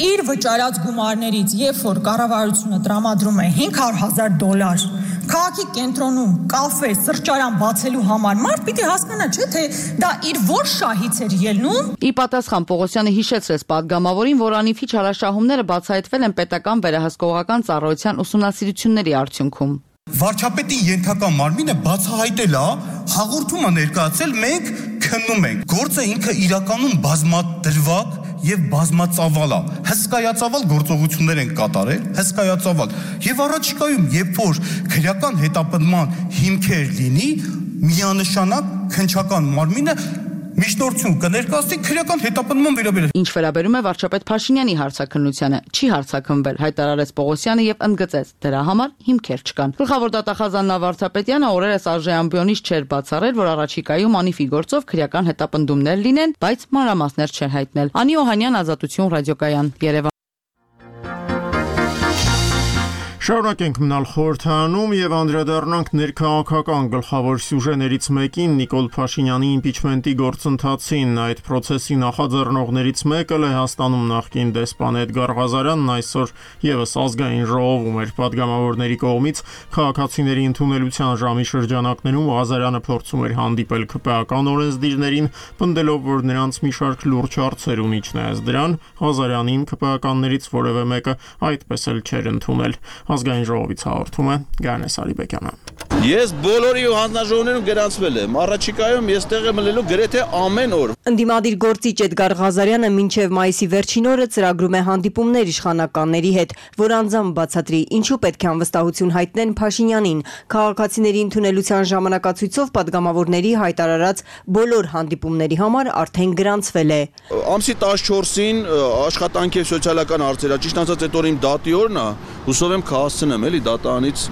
Իր վճարած գումարներից, երբ որ կառավարությունը տրամադրում է $500,000 քաղաքի կենտրոնում կաֆե, սրճարան բացելու համար, մարդ պիտի հասկանա, չէ, թե դա իր որ շահից էր ելնում։ Ի պատասխան Պողոսյանը հիշեցրեց պատգամավորին, որ անիվի չարաշահումները բացահայտվել են պետական վերահսկողական ծառայության ուսումնասիրությունների արդյունքում։ Վարչապետի ենթակա մարմինը բացահայտել է, հաղորդում է ներկայացել, մենք քննում ենք։ Գործը ինքը իրականում բազմադրվակ եւ բազմածավալ է։ Հսկայածավալ գործողություններ են կատարել, հսկայածավալ։ Եվ առաջիկայում, երբ որ քրեական հետապնդման հիմքեր լինի, միանշանակ քննչական մարմինը միջնորդություն կներկայացնի քրեական հետապնդման վերաբերյալ։ Ինչ վերաբերում է վարչապետ Փաշինյանի հարցաքննությանը, չի հարցաքննվել, հայտարարեց Պողոսյանը եւ ընդգծեց, դրա համար հիմքեր չկան։ Գլխավոր դատախազ Աննա Վարդապետյանը օրերս արժե ամբիոնից չէր բացառել, որ առաջիկայում անիվի գործով քրեական հետապնդումներ լինեն, բայց մանրամասներ չէր հայտնել։ Անի Օհանյան, Ազատություն, ռադիոկայան, Երևան։ Շարունակենք մնալ խորհրդանում եւ անդրադառնանք ներքաղաքական գլխավոր սյուժեներից մեկին Նիկոլ Փաշինյանի իմպիչմենտի գործընթացին։ Այդ process-ի նախաձեռնողներից մեկը Լեհաստանում նախկին դեսպան Էդգար Ղազարյանն այսօր եւս ազգային ժողովում էր պատգամավորների կողմից քաղաքացիների ընդունելության ժամի շրջանակներում Ղազարյանը փորձում էր հանդիպել ԿՊԱ-ական օրենսդիրներին, պնդելով, որ նրանց մի շարք լուրջ հարցեր ունի, չնայած դրան Ղազարյանին ԿՊԱ-ականներից որևէ մեկը այդպես էլ չէր ընդունել։ Ազգային ժողովից հաղորդում է Գայանե Սարիբեկյանը։ Ես բոլորի ու հանձնաժողովներում գրանցվել եմ։ Առաջիկայում ես տեղ եմ լելու գրեթե ամեն օր։ Ընդդիմադիր գործիչ Էդգար Ղազարյանը մինչև մայիսի վերջին օրը ծրագրում է հանդիպումներ իշխանականների հետ, որ անձամբ բացատրի ինչու պետք է անվստահություն հայտնեն Փաշինյանին։ Քաղաքացիների ընդունելության ժամանակացույցով պատգամավորների հայտարարած բոլոր հանդիպումների համար արդեն գրանցվել է։ Ամսի 14-ին աշխատանքի եւ սոցիալական հարցեր, ճիշտ ասած այդ օրը իմ դատի օրն է, հուսով եմ կհասցնեմ էլի դատանից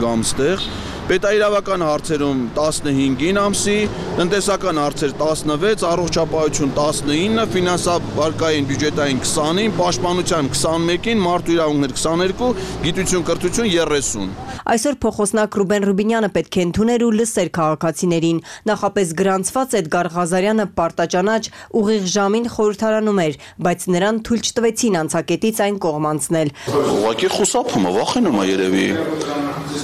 գամ ստեղ։ Պետաիրավական հարցերում 15-ին ամսի, տնտեսական հարցեր 16, առողջապահություն 19, ֆինանսավարկային բյուջետային 20-ին, պաշտպանության 21-ին, մարդու իրավունքներ 22, գիտություն կրթություն 30։ Այսօր փոխոսնակ Ռուբեն Ռուբինյանը պետք է ընդուներ ու լսեր քաղաքացիներին։ Նախապես գրանցված Էդգար Ղազարյանը պարտաճանաչ ուղիղ ժամին խորհրդարանում էր, բայց նրան թույլ չտվեցին անցակետից այն կողմ անցնել։ Ուղղակի խուսափում է, վախենում է երևի։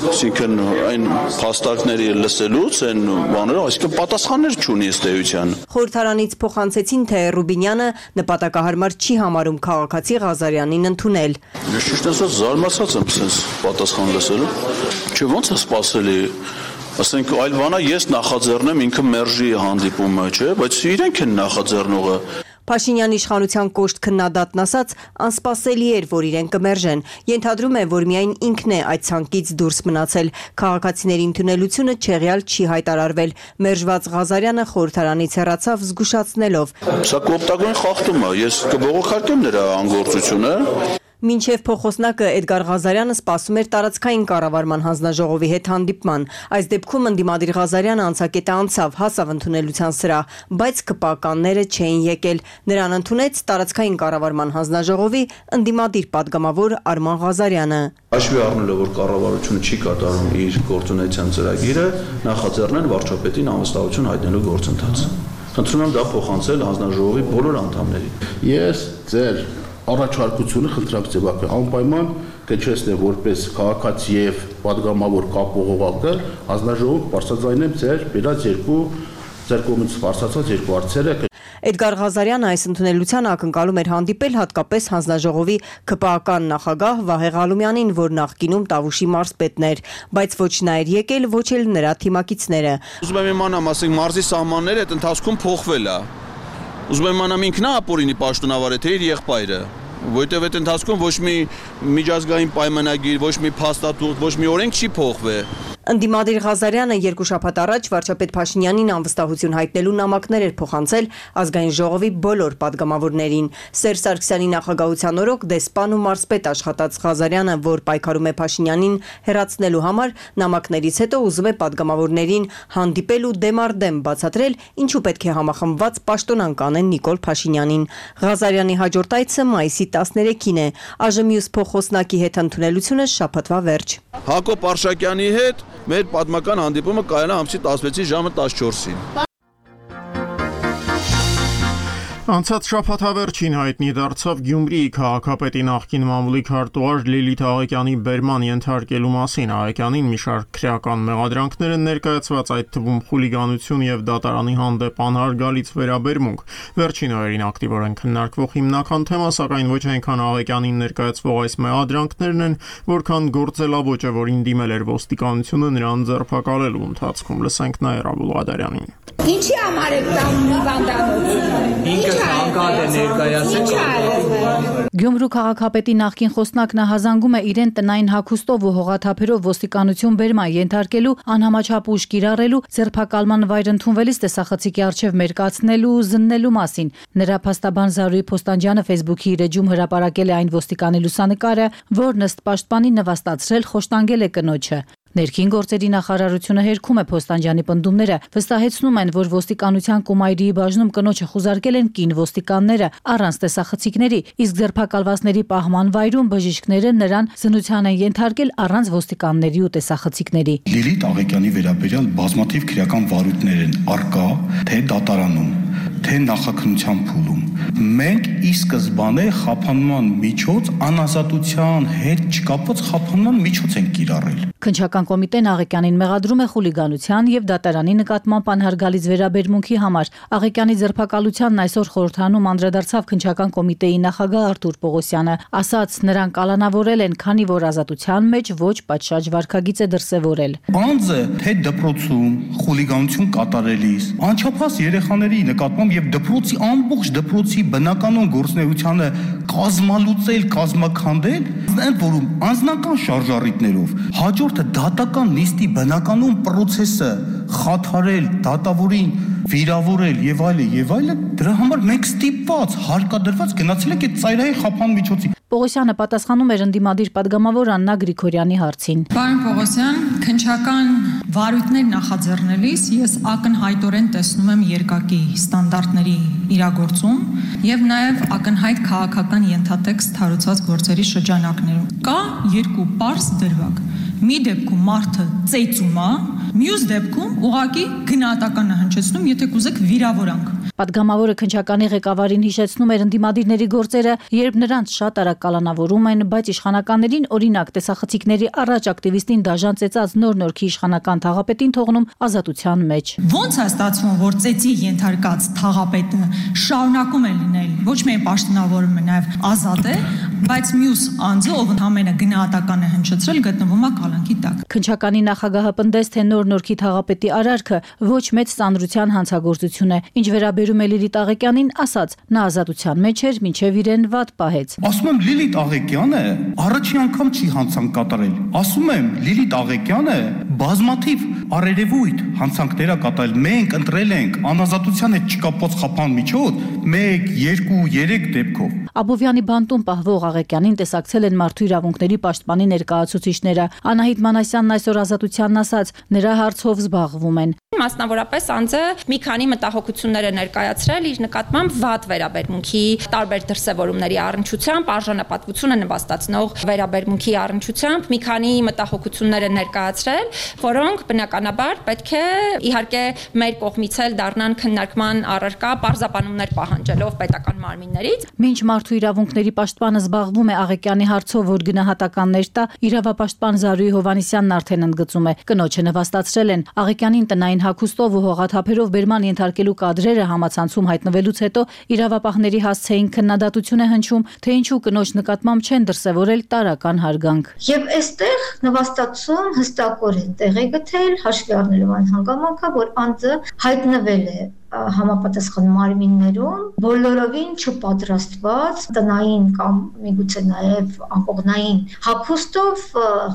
Այսինքն այն փաստարկների լսելուց այն բաները, այսինքն պատասխաններ չունի ըստ էության։ Խորհրդարանից փոխանցեցին, թե Ռուբինյանը նպատակահարմար չի համարում քաղաքացի Ղազարյանին ընդունել։ Ես ճիշտ ասած զարմացած եմ sense պատասխան լսելու։ Չէ, ո՞նց է սպասելի։ Ասենք այլ բանա ես նախաձեռնեմ ինքը մերժի հանդիպումը, չէ, բայց իրենք են նախաձեռնողը։ Փաշինյանի իշխանության կոշտ քննադատն ասաց, անսպասելի էր, որ իրեն կմերժեն։ Ենթադրում է, որ միայն ինքն է այդ ցանկից դուրս մնացել։ Քաղաքացիների ընդունելությունը չեղյալ չի հայտարարվել։ Մերժված Ղազարյանը խորհրդարանից հեռացավ զգուշացնելով. Սա կոպտագույն խախտում է, ես կբողոքարկեմ նրա անգործությունը։ Մինչև փոխոսնակը Էդգար Ղազարյանը սպասում էր տարածքային կառավարման հանձնաժողովի հետ հանդիպման։ Այս դեպքում ընդդիմադիր Ղազարյանը անցակետը անցավ, հասավ ընդունելության սրահ, բայց ԿՊԱ-կանները չէին եկել։ Նրան ընդունեց տարածքային կառավարման հանձնաժողովի ընդդիմադիր падգամավոր Արման Ղազարյանը։ Հաշվի առնելով, որ կառավարությունը չի կատարում իր գործունեության ծրագիրը, նախաձեռնեն վարչապետին անվստահություն հայտնելու գործընթաց։ Խնդրում եմ դա փոխանցել հանձնաժողովի բոլոր անդամներին։ Ես ձեր առաջարկությունը խնդրակ ձևակը անպայման կչեսնեմ որպես քաղաքացի եւ падգամավոր կապողողակը հանձնաժողով բարձրաձայնեմ ձեր բերած ձեր կողմից բարձրացած երկու հարցերը։ Էդգար Ղազարյանը այս ընդունելության ակնկալում էր հանդիպել հատկապես հանձնաժողովի ԿՊԱ-կան նախագահ Վահե Ղալումյանին, որ նախկինում Տավուշի մարզպետն էր, բայց ոչ նա էր եկել, ոչ էլ նրա թիմակիցները։ Ուզում եմ իմանամ, ասենք մարզի սահմանները այդ ընթացքում փոխվել է։ Ուզում եմ իմանամ ինքն է ապօրինի պաշտոնավար է, թե իր եղբայրը, որտեղ այդ ընթացքում ոչ մի միջազգային պայմանագիր, ոչ մի փաստաթուղթ, ոչ մի օրենք չի փոխվել։ Ընդդիմադիր Ղազարյանը երկու շաբաթ առաջ վարչապետ Փաշինյանին անվստահություն հայտնելու նամակներ էր փոխանցել ազգային ժողովի բոլոր падգամավորներին։ Սերժ Սարգսյանի նախագահության օրոք դեսպան ու մարզպետ աշխատած Ղազարյանը, որ պայքարում է Փաշինյանին հեռացնելու համար, նամակներից հետո ուզում է падգամավորներին հանդիպել ու դեմարդեմ բացատրել, ինչու պետք է համախմբված պաշտոնանկ անեն Նիկոլ Փաշինյանին։ Ղազարյանի հաջորդ այցը մայիսի 13-ին է։ Այժմ մյուս փոխոսնակի հետ ընդունելությունը շաբաթվա վերջ։ Հակոբ Արշակյանի հետ մեր պատմական հանդիպումը կայանա ամսի 16-ի ժամը 14-ին։ Անցած շաբաթավերջին հայտնի դարձավ Գյումրիի քաղաքապետի նախկին մամուլի քարտուղար Լիլիթ Աղեկյանի բերման ենթարկելու մասին։ Աղեկյանին մի շարք քրեական մեղադրանքներ են ներկայացված, այդ թվում խուլիգանություն եւ դատարանի հանդեպ անհարգալից վերաբերմունք։ Վերջին օրերին ակտիվորեն քննարկվող հիմնական թեմա, սակայն ոչ այնքան Աղեկյանին ներկայացվող այս մեղադրանքներն են, որքան գործելավոճը, որին դիմել էր ոստիկանությունը նրան ձերբակալելու ընթացքում։ Լսենք Նաիրա Բուլղադարյանին։ Ինչի համար եք տանում հիվանդանոցը։ Գյումրու քաղաքապետի նախկին խոսնակն հազանգում է իրեն տնային հագուստով ու հողաթափերով ոստիկանություն բերման ենթարկելու, անհամաչափ ուժ կիրառելու, ձերբակալման վայր ընդունվելիս տեսախցիկի առջև մերկացնելու ու զննելու մասին։ Նրա փաստաբան Զարուհի Փոստանջյանը Facebook-ի իր էջում հրապարակել է այն ոստիկանի լուսանկարը, որն ըստ պաշտպանի նվաստացրել խոշտանգել է կնոջը։ Ներքին գործերի նախարարությունը հերքում է Փոստանջյանի պնդումները, վստահեցնում են, որ ոստիկանության Կոմայրիի բաժնում կնոջը խուզարկել են կին ոստիկանները առանց տեսախցիկների, իսկ ձերբակալվածների պահման վայրում բժիշկները նրան զննության են ենթարկել առանց ոստիկանների ու տեսախցիկների։ Լիլիթ Աղեկյանի վերաբերյալ բազմաթիվ քրեական վարույթներ են արկա, թե դատարանում, թե նախաքննության փուլում։ Մենք ի սկզբանե խափանման միջոց անազատության հետ չկապված խափանման միջոց են կիրառել։ Քննչական կոմիտեն Աղեկյանին մեղադրում է խուլիգանության եւ դատարանի նկատմամբ անհարգալից վերաբերմունքի համար։ Աղեկյանի ձերբակալությանն այսօր խորհրդանում անդրադարձավ քննչական կոմիտեի նախագահ Արթուր Պողոսյանը, ասաց նրան կալանավորել են, քանի որ ազատության մեջ ոչ պատշաճ վարքագիծ է դրսևորել։ Բանձը թե դպրոցում խուլիգանություն կատարելիս, անչափահաս երեխաների նկատմամբ եւ դպրոցի ամբողջ դպրոցի բնականon գործունեությանը կազմալուծել, կազմաքանդել, ընդ որում անձնական շարժառիթներով, հաջորդը դատական նիստի բնականon process-ը խաթարել, դատավորին վիրավորել եւ այլը, դրա համար մենք ստիպված, հարկադրված գնացել ենք այդ ծայրահեղ խափան միջոցի։ Պողոսյանը պատասխանում էր ընդդիմադիր падգամավոր Աննա Գրիգորյանի հարցին։ Պարոն Պողոսյան, քննչական վարույթներ նախաձեռնելիս ես ակնհայտորեն տեսնում եմ երկակի ստանդարտների իրագործում եւ նաեւ ակնհայտ քաղաքական ենթատեքստ հարուցված գործերի շրջանակներում։ Կա երկու պարզ դրվագ։ Մի դեպքում մարդը ծեծում է, մյուս դեպքում ուղղակի գնահատական է հնչեցնում, եթե կուզեք վիրավորանք։ Պատգամավորը քննչականի ղեկավարին հիշեցնում էր ընդդիմադիրների գործերը, երբ նրանց շատ արագ կալանավորում են, բայց իշխանականներին օրինակ տեսախցիկների առաջ ակտիվիստին դաժան ծեծած նոր Նորքի իշխանական թաղապետին թողնում ազատության մեջ։ Ոնց է ստացվում, որ ծեծի ենթարկած թաղապետը շարունակում է լինել ոչ միայն պաշտոնավորում է, նաև ազատ է, բայց մյուս անձը, ով ընդհանրապես գնահատական է հնչեցրել, գտնվում է կալանքի տակ։ Քննչականի նախագահը պնդեց, թե նոր Նորքի թաղապետի արարքը ոչ մեծ ծանրության հանցագործություն է։ Ինչ վերաբերում է Լիլիթ Աղեկյանին, ասաց, նա ազատության մեջ էր, մինչև իրեն վատ պահեց։ Ասում եմ Լիլիթ Աղեկյանը առաջին անգամ չի հանցանք կատարել։ Ասում եմ Լիլիթ Աղեկյանը բազմաթիվ առերևույթ հանցանքներ է կատարել։ Մենք ընտրել ենք անազատության հետ չկապված խափան միջոց 1, 2, 3 դեպքով։ Աբովյանի բանտում պահվող Աղեկյանին տեսակցել են մարդու իրավունքների պաշտպանի ներկայացուցիչները։ Անահիտ Մանասյանն այսօր ազատությանն ասաց, նրա հարցով զբաղվում են։ Մասնավորապես անձը մի քանի մտահոգություններ է ներկայացրել իր նկատմամբ վատ վերաբերմունքի տարբեր դրսևորումների առնչությամբ, արժանապատվությունը նվաստացնող վերաբերմունքի առնչությամբ մի քանի մտահոգություններ է ներկայացրել, որոնք բնականաբար պետք է իհարկե մեր կողմից էլ դառնան քննարկման առարկա պարզաբանումներ պահանջելով պետական մարմիններից։ Մինչ մարդու իրավունքների պաշտպանը զբաղվում է Աղեկյանի հարցով, որ գնահատականներ տա, իրավապաշտպան Զարուհի Հովհաննիսյանն արդեն ընդգծում է, կնոջը նվաստացրել են Աղեկյանին տնային հագուստով ու հողաթափերով բերման ենթարկելու կադրերը համացանցում հայտնվելուց հետո իրավապահների հասցեին քննադատություն է հնչում, թե ինչու կնոջ նկատմամբ չեն դրսևորել տարրական հարգանք։ Եվ այստեղ նվաստացում հստակորեն տեղ է գտել, հաշվի առնելով այն հանգամանքը, որ անձը հայտնվել է համապատասխան մարմիններում բոլորովին չպատրաստված տնային կամ միգուցե նաև անկողնային հագուստով,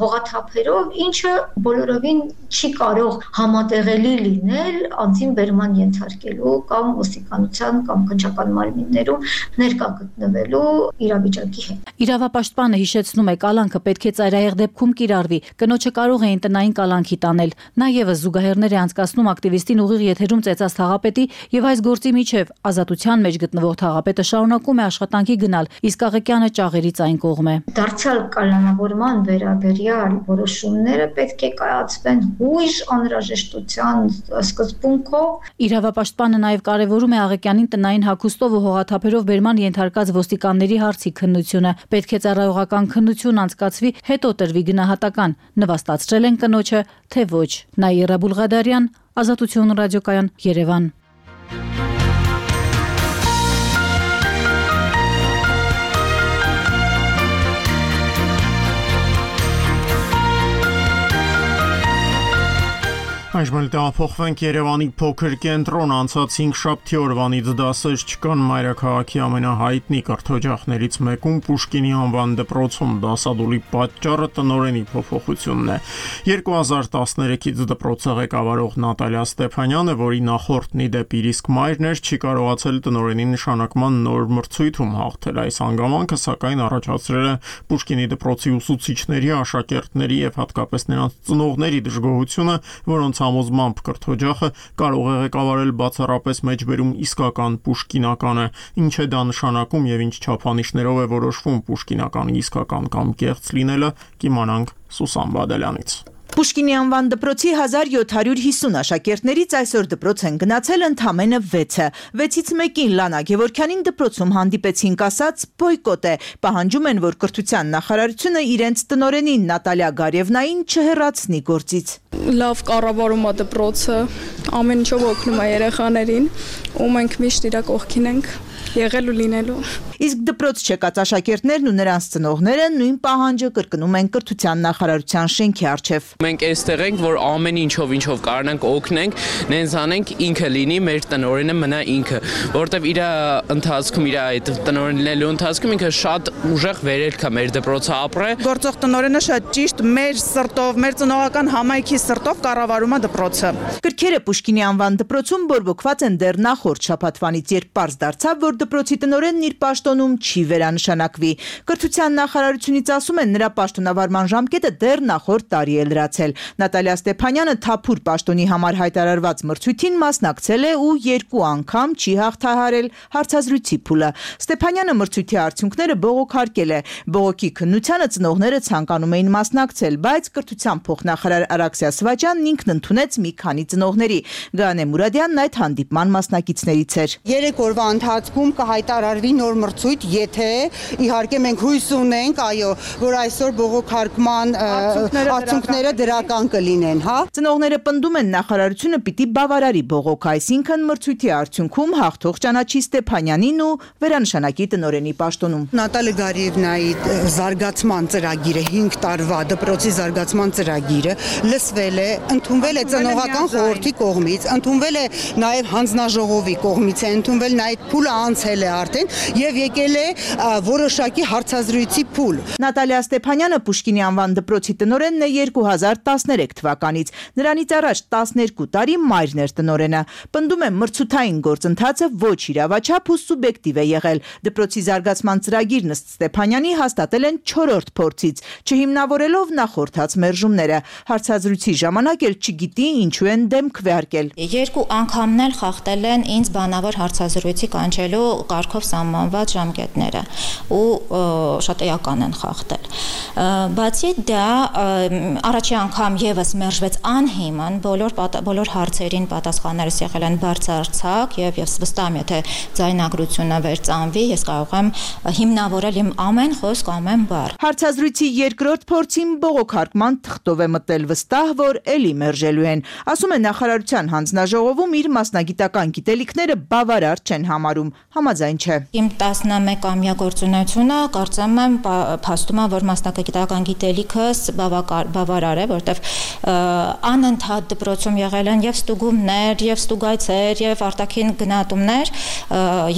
հողաթափերով, ինչը բոլորովին չի կարող համատեղելի լինել անձին բերման ենթարկելու կամ ոստիկանության կամ քննչական մարմիններում ներկա գտնվելու իրավիճակի հետ։ Իրավապաշտպանը հիշեցնում է, կալանքը պետք է ծայրահեղ դեպքում կիրառվի։ Կնոջը կարող էին տնային կալանքի տանել։ Նա եւս զուգահեռներ է անցկացնում ակտիվիստին ուղիղ եթերում ծեծած թաղապետի եւ այս գործի միջև ազատության մեջ գտնվող թաղապետը շարունակում է աշխատանքի գնալ, իսկ Աղեկյանը ճաղերից այն կողմ է։ Դարձյալ կալանավորման վերաբերյալ որոշումները պետք է կայացվեն հույժ անհրաժեշտության սկզբունքով։ Իրավապաշտպանը նաև կարևորում է Աղեկյանին տնային հագուստով ու հողաթափերով բերման ենթարկած ոստիկանների հարցի քննությունը։ Պետք է ծառայողական քննություն անցկացվի, հետո տրվի գնահատական։ Նվաստացրել են կնոջը, թե ոչ։ Նաիրա Բուլղադարյան, Ազատություն ռադիոկայան, Երևան։ Այժմ տեղափոխվենք Երևանի փոքր կենտրոն, անցած 5 շաբթի օրվանից դասեր չկան մայրաքաղաքի ամենահայտնի կրթօջախներից մեկում Պուշկինի անվան դպրոցում դասադուլի պատճառը տնօրենի փոփոխությունն է։ 2013-ից դպրոցը ղեկավարող Նատալիա Ստեփանյանը, որի նախորդն ի դեպ իր իսկ մայրն էր, չի կարողացել տնօրենի նշանակման նոր մրցույթում հաղթել։ Այս հանգամանքը սակայն առաջացրել է Պուշկինի դպրոցի ուսուցիչների, աշակերտների եւ հատկապես նրանց ծնողների դժգոհությունը, որոնց համոզմամբ կրթօջախը կարող է ղեկավարել բացառապես մեջբերում իսկական պուշկինականը, ինչ է դա նշանակում եւ ինչ չափանիշներով է որոշվում պուշկինականի իսկական կամ կեղծ լինելը, կիմանանք Սուսան Բադալյանից։ Պուշկինի անվան դպրոցի 1750 աշակերտներից այսօր դպրոց են գնացել ընդամենը 6-ը։ 6-ից մեկին Լանա Գևորգյանին դպրոցում հանդիպեցինք, ասաց բոյկոտ է։ Պահանջում են, որ կրթության նախարարությունը իրենց տնօրենին Նատալիա Գարևնային չհեռացնի գործից։ Լավ կառավարում է դպրոցը, ամեն ինչով օգնում է երեխաներին, ու մենք միշտ իր կողքին ենք եղել ու լինելու։ Իսկ դպրոց չեկած աշակերտներն ու նրանց ծնողները նույն պահանջը կրկնում են կրթության նախարարության շենքի առջև։ Մենք այստեղ ենք, որ ամեն ինչով կարողանանք օգնենք, նենց անենք, ինքը լինի, մեր տնօրենը մնա ինքը, որտեվ իր ընթացքում, իր այդ տնօրենելու ընթացքում ինքը շատ ուժեղ վերելք է մեր դպրոցը ապրե։ Գործող տնօրենը շատ ճիշտ մեր սրտով, մեր ծնողական համայնքի սրտով կառավարում է դպրոցը։ Գրքերը Պուշկինի անվան դպրոցում բորբոքված են դեռ նախորդ շաբաթվանից, երբ պարզ դարձավ, որ որ դպրոցի տնօրենն իր պաշտոնում չի վերանշանակվի։ Կրթության նախարարությունից ասում են, նրա պաշտոնավարման ժամկետը դեռ նախորդ տարի է լրացել։ Նատալիա Ստեփանյանը թափուր պաշտոնի համար հայտարարված մրցույթին մասնակցել է ու 2 անգամ չի հաղթահարել հարցազրույցի փուլը։ Ստեփանյանը մրցույթի արդյունքները բողոքարկել է։ Բողոքի քննությանը ծնողները ցանկանում էին մասնակցել, բայց կրթության փոխնախարար Արաքսիա Սվաճյանն ինքն ընդունեց մի քանի ծնողների։ Գանե Մուրադյանն այդ հանդիպման մասնակիցներից էր։ 3 օրվա ընթացքում կհայտարարվի նոր մրցույթ, եթե իհարկե մենք հույս ունենք, այո, որ այսօր բողոքարկման արդյունքները դրական կլինեն, հա։ Ծնողները պնդում են, նախարարությունը պիտի բավարարի բողոքը, այսինքն մրցույթի արդյունքում հաղթող ճանաչի Ստեփանյանին ու վերանշանակի տնօրենի պաշտոնում։ Նատալիա Գարիևնայի զարգացման ծրագիրը 5 տարվա դպրոցի զարգացման ծրագիրը լսվել է, ընդունվել է ծնողական խորհրդի կողմից, ընդունվել է նաև հանձնաժողովի կողմից, ընդունվել նաև փուլը անցել է արդեն եւ եկել է որոշակի հարցազրույցի փուլ։ Նատալիա Ստեփանյանը Պուշկինի անվան դպրոցի տնօրենն է 2013 թվականից։ Նրանից առաջ 12 տարի մայրն էր տնօրենը։ Պնդում է, մրցութային գործընթացը ոչ իրավաչափ ու սուբյեկտիվ է եղել։ Դպրոցի զարգացման ծրագիրն ըստ Ստեփանյանի հաստատել են 4-րդ փորձից, չհիմնավորելով նախորդած մերժումները։ Հարցազրույցի ժամանակ էլ չգիտի ինչու են դեմ քվեարկել։ 2 անգամն էլ խախտել են ինձ բանավոր հարցազրույցի կանչելու կարգով սահմանված ժամկետները ու շատ էական են խախտել։ Բացի դա առաջի անգամ եւս մերժվեց անհիմն, բոլոր հարցերին պատասխաններս եղել են բարձրացակ եւ վստահ եմ, եթե ձայնագրությունը վերծանվի, ես կարող եմ հիմնավորել իմ ամեն խոսք, ամեն բառ։ Հարցազրույցի երկրորդ փորձին բողոքարկման թղթով է մտել, վստահ, որ էլի մերժելու են։ Ասում են, նախարարության հանձնաժողովում իր մասնագիտական գիտելիքները բավարար չեն համարում, համաձայն չէ։ Իմ 11-ամյա գործունեությունը կարծեմ եմ փաստում է, որ մասնագիտական գիտելիքս բավարար է, որտեվ անընդհատ դպրոցում եղել են եւ ստուգումներ, եւ ստուգայցեր, եւ արտաքին գնահատումներ,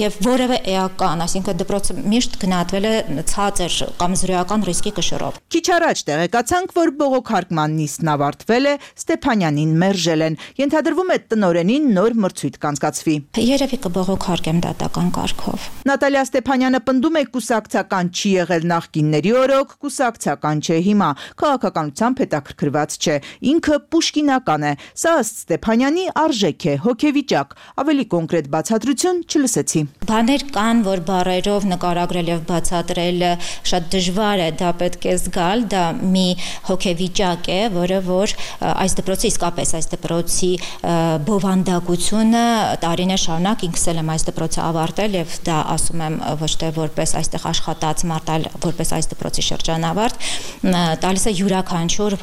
եւ որևէ էական, այսինքն դպրոցը միշտ գնահատվել է ցածր կամ զրոյական ռիսկի կշռով։ Քիչ առաջ տեղեկացանք, որ բողոքարկման նիստն ավարտվել է, Ստեփանյանին մերժել են։ Ենթադրվում է տնօրենին նոր մրցույթ կանցկացվի։ Երևի կբողոքարկեմ դատական կարգով։ Նատալիա Ստեփանյանը պնդում է, կուսակցական չի եղել նախկինների օրոք, կուսակցական չէ հիմա, քաղաքականությամբ հետաքրքրված չէ, ինքը պուշկինական է։ Սա ըստ Ստեփանյանի արժեք է, հոգեվիճակ։ Ավելի կոնկրետ բացատրություն չլսեցի։ Բաներ կան, որ բառերով նկարագրել եւ բացատրել շատ դժվար է, դա պետք է զգալ, դա մի հոգեվիճակ է, որը որ այս դպրոցի իսկապես այս դպրոցի բովանդակությունը տարիներ շարունակ ինքս եմ այս դպրոցը ավարտել եւ դա ասում եմ ոչ թե որպես այստեղ աշխատած մարդ, որպես այս դպրոցի շրջանավարտ, տալիս է յուրաքանչյուր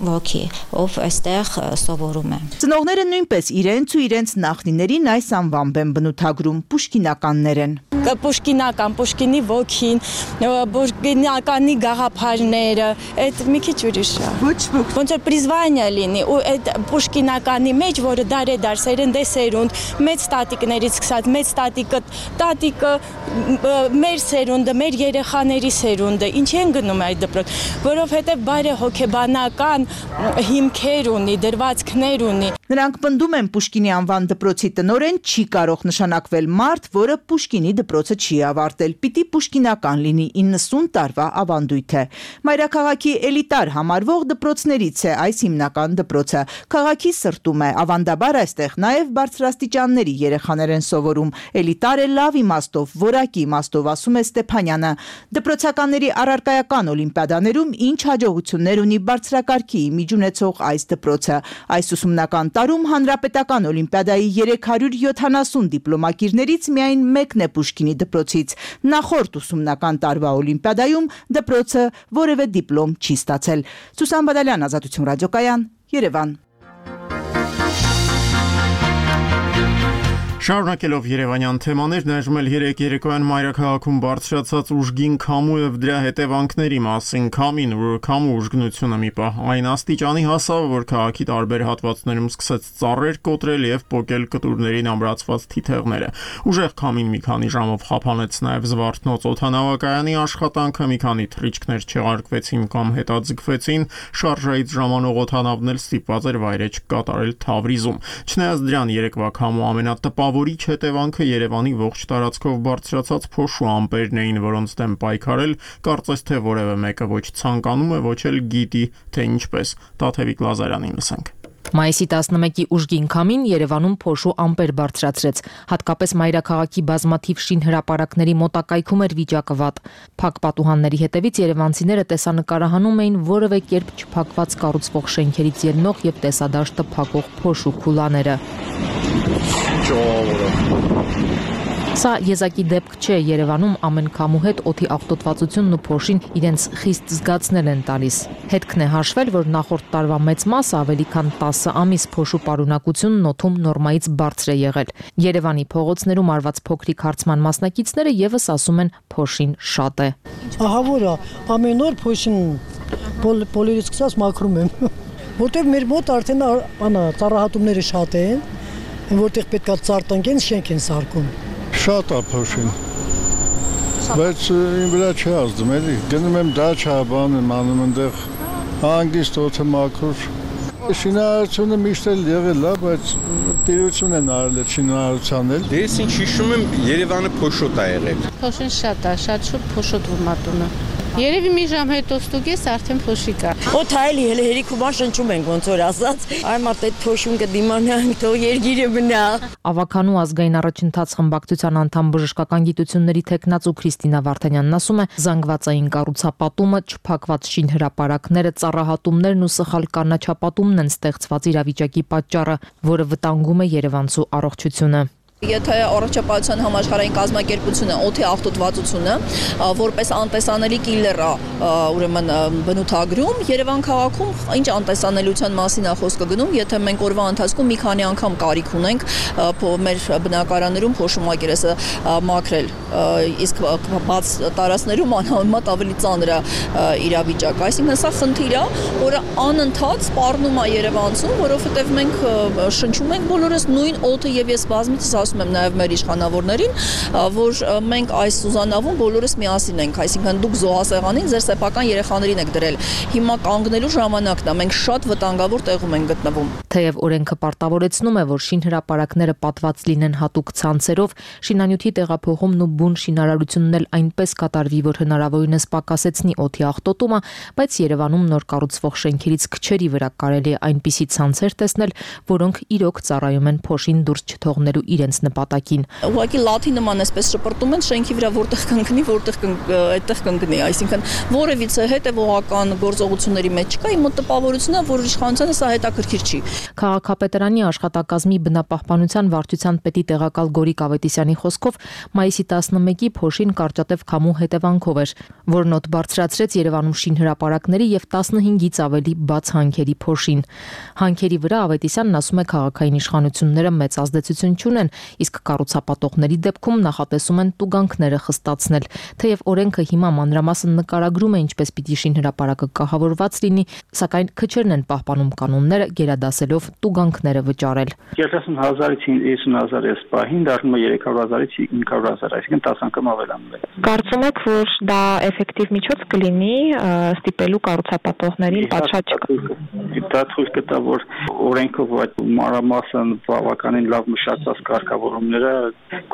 ոգի, ով այստեղ սովորում է։ Ծնողները նույնպես իրենց ու իրենց նախնիներին այս անվամբ են բնութագրում, պուշկինականներ են։ Պուշկինական, Պուշկինի ոգին, Պուշկինականի գաղափարները, այդ մի քիչ ուրիշ է։ Ոնց որ պրիզվանիա լինի, ու այդ Պուշկինականի մեջ, որը դարեդար սերնդե սերունդ, մեծ տատիկներից սկսած, մեծ տատիկը մեր սերունդը, մեր երեխաների սերունդը, ինչի են գնում այդ դպրոց, որովհետև բարեհոգեբանական հիմքեր ունի, դրվածքներ ունի։ Նրանք պնդում են, Պուշկինի անվան դպրոցի տնօրեն չի կարող նշանակվել մարդ, որը Պուշկինի դպրոցը չի ավարտել, պիտի պուշկինական լինի, 90 տարվա ավանդույթ է։ Մայրաքաղաքի էլիտար համարվող դպրոցներից է այս հիմնական դպրոցը։ Քաղաքի սրտում է, ավանդաբար այստեղ նաև բարձրաստիճանների երեխաներ են սովորում։ Էլիտար է լավ իմաստով, որակի իմաստով, ասում է Ստեփանյանը։ Դպրոցականների առարկայական օլիմպիադաներում ինչ հաջողություններ ունի բարձրակարգի իմիջ ունեցող այս դպրոցը։ Այս ուսումնական տարում հանրապետական օլիմպիադայի 370 դիպլոմակիրներից միայն մեկն է Պուշկինի դպրոցից։ Նախորդ ուսումնական տարվա օլիմպիադայում դպրոցը որևէ դիպլոմ չի ստացել։ Սուսան Բադալյան, Ազատություն ռադիոկայան, Երևան։ Շարունակելով երևանյան թեմաներ, ներժում էլ երեկոյան մայրաքաղաքում բարձրացած ուժգին քամու եւ դրա հետևանքների մասին քամին, որ քամու ուժգնությունը մի պահ այն աստիճանի հասավ, որ քաղաքի տարբեր հատվածներում սկսեց ծառեր կոտրել եւ պոկել կտուրներին ամրացված թիթեղները։ Ուժեղ քամին մի քանի ժամով խափանեց նաեւ Զվարթնոց օդանավակայանի աշխատանքը, մի քանի թռիչքներ չեղարկվեցին կամ հետաձգվեցին, շարժայից ժամանող օդանավն էլ ստիպված էր վայրեջք կատարել Թավրիզում։ Չնայած դրան, երեկվա քամու ամենատպ տպավորիչ հետևանքը Երևանի ողջ տարածքով բարձրացած փոշու ամպերն էին, որոնց դեմ պայքարել կարծես թե որևէ մեկը ոչ ցանկանում է, ոչ էլ գիտի, թե ինչպես։ Տաթևիկ Լազարյանին լսենք։ Մայիսի 11-ի ուժգին քամին Երևանում փոշու ամպեր բարձրացրեց, հատկապես մայրաքաղաքի բազմաթիվ շինհրապարակների մոտակայքում էր վիճակը վատ։ Փակ պատուհանների հետևից երևանցիները տեսանկարահանում էին որևէ կերպ չփակված կառուցվող շենքերից ելնող եւ տեսադաշտը փակող փոշու քուլաները։ Սա եզակի դեպք չէ, Երևանում ամեն քամու հետ օդի աղտոտվածությունն ու փոշին իրենց խիստ զգացնել են տալիս։ Հետքն է հաշվել, որ նախորդ տարվա մեծ մասը ավելի քան 10 ամիս փոշու պարունակությունն օդում նորմայից բարձր է եղել։ Երևանի փողոցներում արված փոքրիկ հարցման մասնակիցները եւս ասում են փոշին շատ է։ Ահա որ ամեն օր փոշին բոլորից սկսած մաքրում եմ, որտեղ մեր մոտ արդեն ծառահատումները շատ են, որտեղ պետքա ծառ տնկեն, շենք են սարքում։ Շատ է փոշին, բայց իմ վրա չի ազդում, էլի, գնում եմ դաչա, բան եմ անում ընդեղ, հանգիստ օդը մաքուր, շինարարությունը միշտ էլ եղել է, բայց տիրություն են արել այդ շինարարության էլ։ Դե ես ինչ հիշում եմ, Երևանը փոշոտ է եղել։ Փոշին շատ է, շատ շուտ փոշոտվում ատունը։ Երևի մի ժամ հետո ստուգես արդեն փոշի կա։ Օդ հայելի հենց հերիքուման շնչում ենք ոնց որ ասած։ Այ մարդ այդ փոշուն կդիմանանք, թող երգիրը մնա։ Ավականու ազգային առաջընթաց խմբակցության անդամ բժշկական գիտությունների տեխնացու Քրիստինա Վարդանյանն ասում է, զանգվածային կառուցապատումը, չփակված շինհրապարակները, ծառահատումներն ու սխալ կանաչապատումն են ստեղծված իրավիճակի պատճառը, որը վտանգում է երևանցու առողջությունը։ Եթե առողջապահության համաշխարհային կազմակերպությունը օդի աղտոտվածությունը որպես անտեսանելի կիլեր է ուրեմն բնութագրում, Երևան քաղաքում ինչ անտեսանելիության մասին է խոսքը գնում, եթե մենք օրվա ընթացքում մի քանի անգամ կարիք ունենք մեր բնակարաններում փոշու մակերեսը մաքրել, իսկ բաց տարածքներում անհամեմատ ավելի ծանր է իրավիճակը, այսինքն սա խնդիր է, որը անընդհատ սպառնում է երևանցուն, որովհետև մենք շնչում ենք բոլորս նույն օդը եւ ես բազմիցս ասում եմ նաև մեր իշխանավորներին, որ մենք այս Սուզանավում բոլորս միասին ենք, այսինքն դուք զոհասեղանին ձեր սեփական երեխաներին եք դրել։ Հիմա կանգնելու ժամանակն է, մենք շատ վտանգավոր տեղում ենք գտնվում։ Թեև օրենքը պարտավորեցնում է, որ շինհրապարակները պատված լինեն հատուկ ցանցերով, շինանյութի տեղափոխումն ու բուն շինարարությունն էլ այնպես կատարվի, որ հնարավորինս պակասեցնի օդի աղտոտումը, բայց Երևանում նոր կառուցվող շենքերից քչերի վրա կարելի է այնպիսի ցանցեր տեսնել, որոնք իրոք ծառայում են փոշին դուրս չթողնելու իրենց նպատակին։ Ուղղակի լաթի նման էսպես շպրտում են շենքի վրա, որտեղ կընկնի, այդտեղ կընկնի, այսինքն որևիցե հետևողական գործողությունների մեջ չկա, իմ մոտ տպավորությունն է, որ իշխանությանը սա հետաքրքիր չի։ Քաղաքապետարանի աշխատակազմի բնապահպանության վարչության պետի տեղակալ Գորիկ Ավետիսյանի խոսքով մայիսի 11-ի փոշին կարճատև քամու հետևանքով էր, որն օդ բարձրացրեց Երևանում շինհրապարակների եւ 15-ից ավելի բաց հանքերի փոշին։ Հանքերի վրա Ավետիսյանն ասում է, քաղաքային իշխանությունները մեծ ազդեցություն չունեն, իսկ կառուցապատողների դեպքում նախատեսում են տուգանքները խստացնել։ Թեև օրենքը հիմա մանրամասն նկարագրում է ինչպես պիտի շինհրապարակը կահավորված լինի, սակայն քչերն են պահպանում կանոնները, գերադասելով տուգանքները վճարել։ 30,000-ից 50,000 էս պահին դառնում է 300,000-ից 500,000, այսինքն 10 անգամ ավելանում է։ Կարծում եք, որ դա էֆեկտիվ միջոց կլինի ստիպելու կառուցապատողներին պատշաճ դա ցույց կտա, որ օրենքով այդ մանրամասն բավականին լավ մշակված կարգավորումները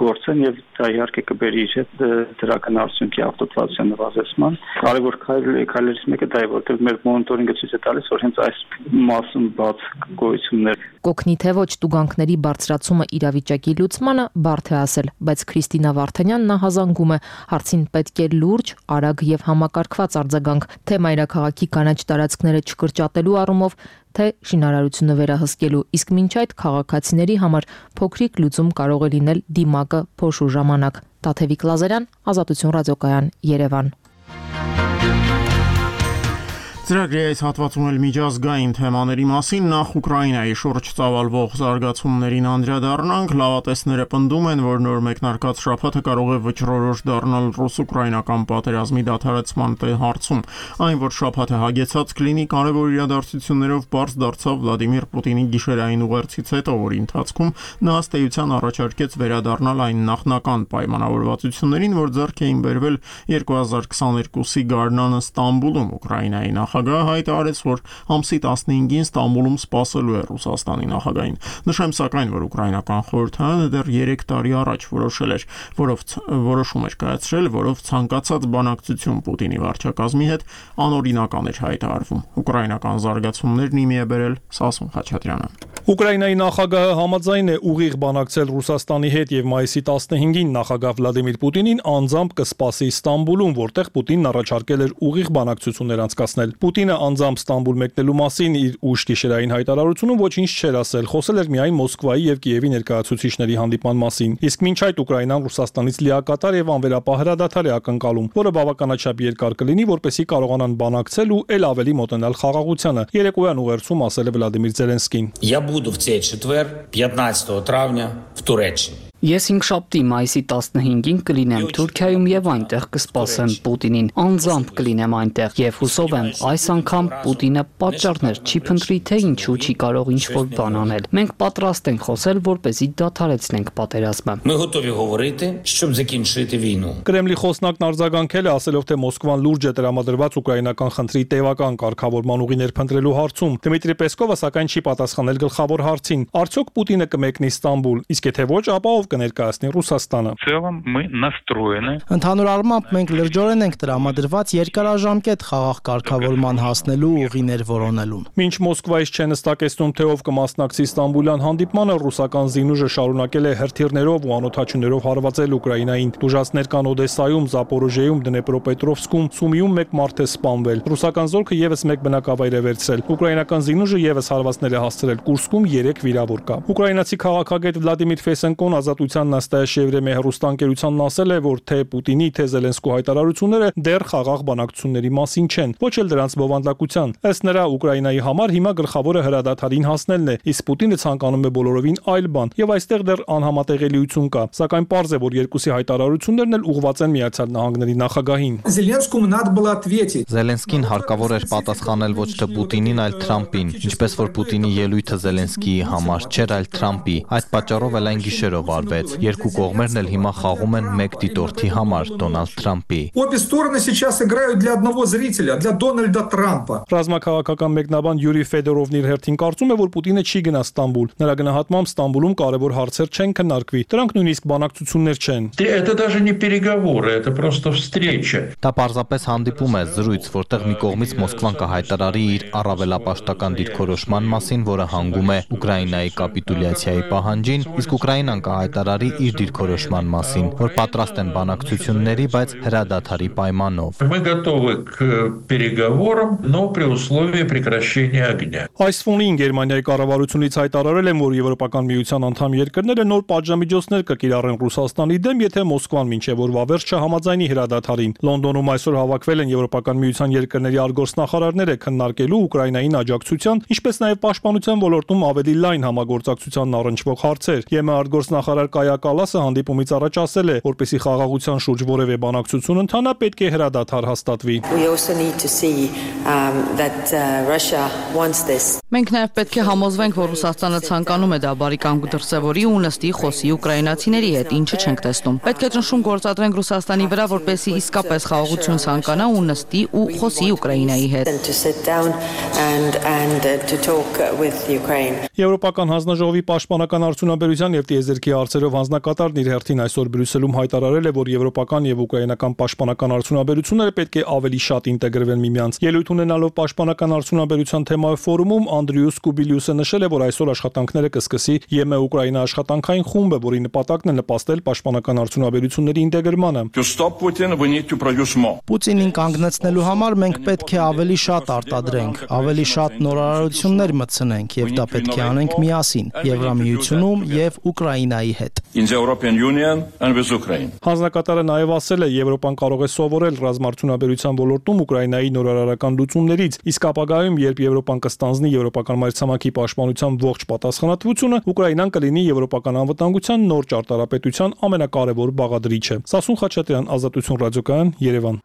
գործեն եւ դա իհարկե կբերի իր հետ դրական արդյունքի աղտոտվածության նվազեցման։ Կարևոր քայլերից մեկը դա է, որտեղ մեր մոնիտորինգը ցույց է տալիս, որ հենց այս մասում բաց գոյություններ կօգնի թե ոչ տուգանքների բարձրացումը իրավիճակի լուծմանը, բարդ է ասել, բայց Քրիստինա Վարդանյանն հազանգում է, հարցին պետք է լուրջ, արագ եւ համակարգված արձագանք, թե մայրաքաղաքի կանաչ տարածքները չկրճատելու առումով, թե շինարարությունը վերահսկելու, իսկ մինչ այդ քաղաքացիների համար փոքրիկ լուծում կարող է լինել դիմակը փոշու ժամանակ։ Տաթևիկ Լազարյան, Ազատություն ռադիոկայան, Երևան։ Ծրագրի այս հատվածում էլ միջազգային թեմաների մասին նախ Ուկրաինայի շուրջ ծավալվող զարգացումներին անդրադառնանք, լավատեսները պնդում են, որ նոր մեկնարկած շաբաթը կարող է վճռորոշ դառնալ ռուս-ուկրաինական պատերազմի դադարեցման հարցում։ Այն, որ շաբաթը հագեցած կլինի կարևոր իրադարձություններով, պարզ դարձավ Վլադիմիր Պուտինի գիշերային ուղերձից հետո, որի ընթացքում նա ըստ էության առաջարկեց վերադառնալ այն նախնական պայմանավորվածություններին, որ ձեռք էին բերվել 2022-ի գարնանը Ստամբուլում Ուկրաինայի նախագահ նախագահը հայտարարեց, որ ամսի 15-ին Ստամբուլում սպասելու է Ռուսաստանի նախագահին։ Նշեմ սակայն, որ ուկրաինական խորհրդարանը դեռ 3 տարի առաջ որոշում էր կայացրել, որով ցանկացած բանակցություն Պուտինի վարչակազմի հետ անօրինական էր հայտարարվում։ Ուկրաինական զարգացումներն իմի է բերել Սասուն Խաչատրյանը։ Ուկրաինայի նախագահը համաձայն է ուղիղ բանակցել Ռուսաստանի հետ եւ մայիսի 15-ին նախագահ Վլադիմիր Պուտինին անձամբ կսպասի Ստամբուլում, որտեղ Պուտինն առաջարկել էր ուղիղ բանակցություններ անցկացնել։ Պուտինը անձամբ Ստամբուլ մեկնելու մասին իր ուշ գիշերային հայտարարությունում ոչինչ չէր ասել, խոսել էր միայն Մոսկվայի եւ Կիևի ներկայացուցիչների հանդիպման մասին։ Իսկ մինչ այդ Ուկրաինան Ռուսաստանից լիակատար եւ անվերապահ հրադադար է ակնկալում, որը բավականաչափ երկար կլինի, որպեսզի կարողանան բանակցել ու ել ավելի մոտենալ խաղաղությանը։ Երեկոյան ուղերձում ասել է Վլադիմիր Զելենսկին. Буду в цей четвер, 15 травня, в Туреччині. Ես հինգշաբթի մայիսի 15-ին կլինեմ Թուրքիայում եւ այնտեղ կսպասեմ Պուտինին, անձամբ կլինեմ այնտեղ եւ հուսով եմ այս անգամ Պուտինը պատճառներ չի փնտրի, թե ինչու չի կարող ինչ-որ բան անել։ Մենք պատրաստ ենք խոսել, որպեսզի դադարեցնենք պատերազմը։ Ми готові говорити, щоб закінчити війну. Կրեմլի խոսնակն արձագանքել է, ասելով, թե Մոսկվան լուրջ է տրամադրված ուկրաինական խնդրի տևական կարգավորման ուղիներ փնտրելու հարցում։ Դմիտրի Պեսկովը սակայն չի պատասխանել գլխավոր հարցին. Արդյոք Պուտինը կմեկնի Ստամբուլ, իսկ եթե ոչ, ապա ով կներկայացնի Ռուսաստանը։ Ընդհանուր առմամբ մենք լրջորեն ենք տրամադրված երկարաժամկետ խաղաղ կարգավորման հասնելու ուղիներ որոնելուն։ Մինչ Մոսկվայից չեն հստակեցնում, թե ով կմասնակցի Ստամբուլյան հանդիպմանը, ռուսական զինուժը շարունակել է հրթիռներով ու անօդաչուներով հարվածել Ուկրաինային։ Տուժածներ կան Օդեսայում, Զապորոժիեում, Դնեպրոպետրովսկում, Սումիում մեկ մարդ է սպանվել։ Ռուսական զորքը եւս մեկ բնակավայր է վերցրել։ Ուկրաինական զինուժը եւս հարվածներ է հասցրել Կուրսկում 3 վիրավոր կա։ Ուկրաինացի քաղաքագետ Վլադիմիր Ֆեսենկոն Ազատության Նաստայա Եվրեմի հեռուստաընկերությանն ասել է, որ թե Պուտինի, թե Զելենսկու հայտարարությունները դեռ խաղաղ բանակցությունների մասին չեն, ոչ էլ դրանց բովանդակության։ Ըստ նրա, Ուկրաինայի համար հիմա գլխավորը հրադադարին հասնելն է, իսկ Պուտինը ցանկանում է բոլորովին այլ բան, եւ այստեղ դեռ անհամատեղելիություն կա։ Սակայն պարզ է, որ երկուսի հայտարարություններն էլ ուղղված են Միացյալ Նահանգների նախագահին։ Զելենսկին հարկավոր էր պատասխանել ոչ թե Պուտինին, այլ Թրամփին, ինչպես որ Պուտինի ելույթը Զելենսկիի համար չէր, այլ Թրամփի։ Այդ պատճառով էլ այն գիշերով արվեց։ Երկու կողմերն էլ հիմա խաղում են մեկ դիտորդի համար, Դոնալդ Թրամփի։ Ռազմաքաղաքական մեկնաբան Յուրի Ֆեդորովն իր հերթին կարծում է, որ Պուտինը չի գնա Ստամբուլ։ Նրա գնահատմամբ Ստամբուլում կարևոր հարցեր չեն քննարկվի։ Դրանք նույնիսկ բանակցություններ չեն։ Դա պարզապես հանդիպում է, զրույց, որտեղ մի կողմից Մոսկվան կհայտարարի իր առավելապաշտական դիրքորոշման մասին, որը հանգում է Ուկրաինայի կապիտուլյացիայի պահանջին, իսկ Ուկրաինան կհայտարարի իր դիրքորոշման մասին, որ պատրաստ են բանակցությունների, բայց հրադադարի պայմանով։ Այս ֆոնին Գերմանիայի կառավարությունից հայտարարել են, որ Եվրոպական միության անդամ երկրները նոր պատժամիջոցներ կկիրառեն Ռուսաստանի դեմ, եթե Մոսկվան մինչև օրվա վերջը համաձայնի հրադադարին։ Լոնդոնում այսօր հավաքվել են Եվրոպական միության երկրների արտգործնախարարները քննարկելու Ուկրաինային աջակցության, ինչպես նաև պաշտպանության ոլորտում ավելի լայն համագործակցությանն առնչվող հարցեր։ ԵՄ արտգործնախարար Կայա Կալասը հանդիպումից առաջ ասել է, որպեսզի խաղաղության շուրջ որևէ բանակցություն ընթանա, պետք է հրադադար հաստատվի։ Մենք նաև պետք է համոզվենք, որ Ռուսաստանը ցանկանում է դա բարի կամք դրսևորի ու նստի խոսի ուկրաինացիների հետ, ինչը չենք տեսնում։ Պետք է ճնշում գործադրենք Ռուսաստանի վրա, որպեսզի իսկապես խաղաղություն ցանկանա ու նստի ու խոսի Ուկրաինայի հետ։ Եվրոպական հանձնաժողովի պաշտպանական արդյունաբերության եւ տիեզերքի հարցերով հանձնակատարն իր հերթին այսօր Բրյուսելում հայտարարել է, որ եվրոպական եւ ուկրաինական պաշտպանական արդյունաբերությունները պետք է ավելի շատ ինտեգրվեն միմյանց։ Ելույթ ունենալով պաշտպանական արդյունաբերության թեմայով ֆորումում Անդրիուս Կուբիլիուսը նշել է, որ այսօր աշխատանքները կսկսի ԵՄ Ուկրաինա աշխատանքային խումբը, որի նպատակն է նպաստել պաշտպանական արդյունաբերությունների ինտեգրմանը։ Պուտինին կանգնեցնելու համար մենք պետք է ավելի շատ արտադրենք, ավելի շատ նորարարություններ մտցնենք եւ դա պետք է անենք միասին Եվրամիությունում եւ Ուկրաինայի հետ։ Հանձնակատարը նաև ասել է, Եվրոպան կարող է սովորել ռազմաարդյունաբերության ոլորտում Ուկրաինայի նորարարական լուծումներից, իսկ ապագայում, երբ Եվրոպան կստանձնի եվրոպական մայրցամաքի պաշտպանության ողջ պատասխանատվությունը, Ուկրաինան կլինի եվրոպական անվտանգության նոր ճարտարապետության ամենակարևոր բաղադրիչը։ Սասուն Խաչատրյան, Ազատություն ռադիոկայան, Երևան։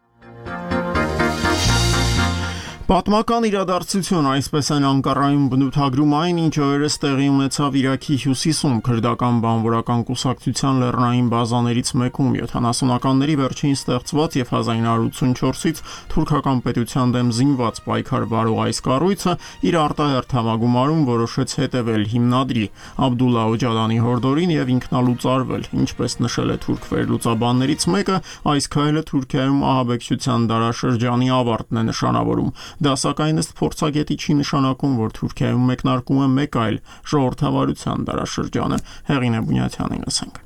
Պատմական իրադարձություն, այսպես են Անկարայում բնութագրում այն, ինչ օրերս տեղի ունեցավ Իրաքի հյուսիսում քրդական բանվորական կուսակցության լեռնային բազաներից մեկում 70-ականների վերջին ստեղծված եւ 1984-ից թուրքական պետության դեմ զինված պայքար վարող այս կառույցը իր արտահերթ համագումարում որոշեց հետևել հիմնադրի Աբդուլլա Օջալանի հորդորին եւ ինքնալուծարվել, ինչպես նշել է թուրք վերլուծաբաններից մեկը, այս քայլը Թուրքիայում ահաբեկչության դարաշրջանի ավարտն է նշանավորում։ Դա սակայն ըստ փորձագետի չի նշանակում, որ Թուրքիայում մեկնարկում է մեկ այլ ժողովրդավարության դարաշրջանը։ Հեղինե Բունյաթյանին լսենք։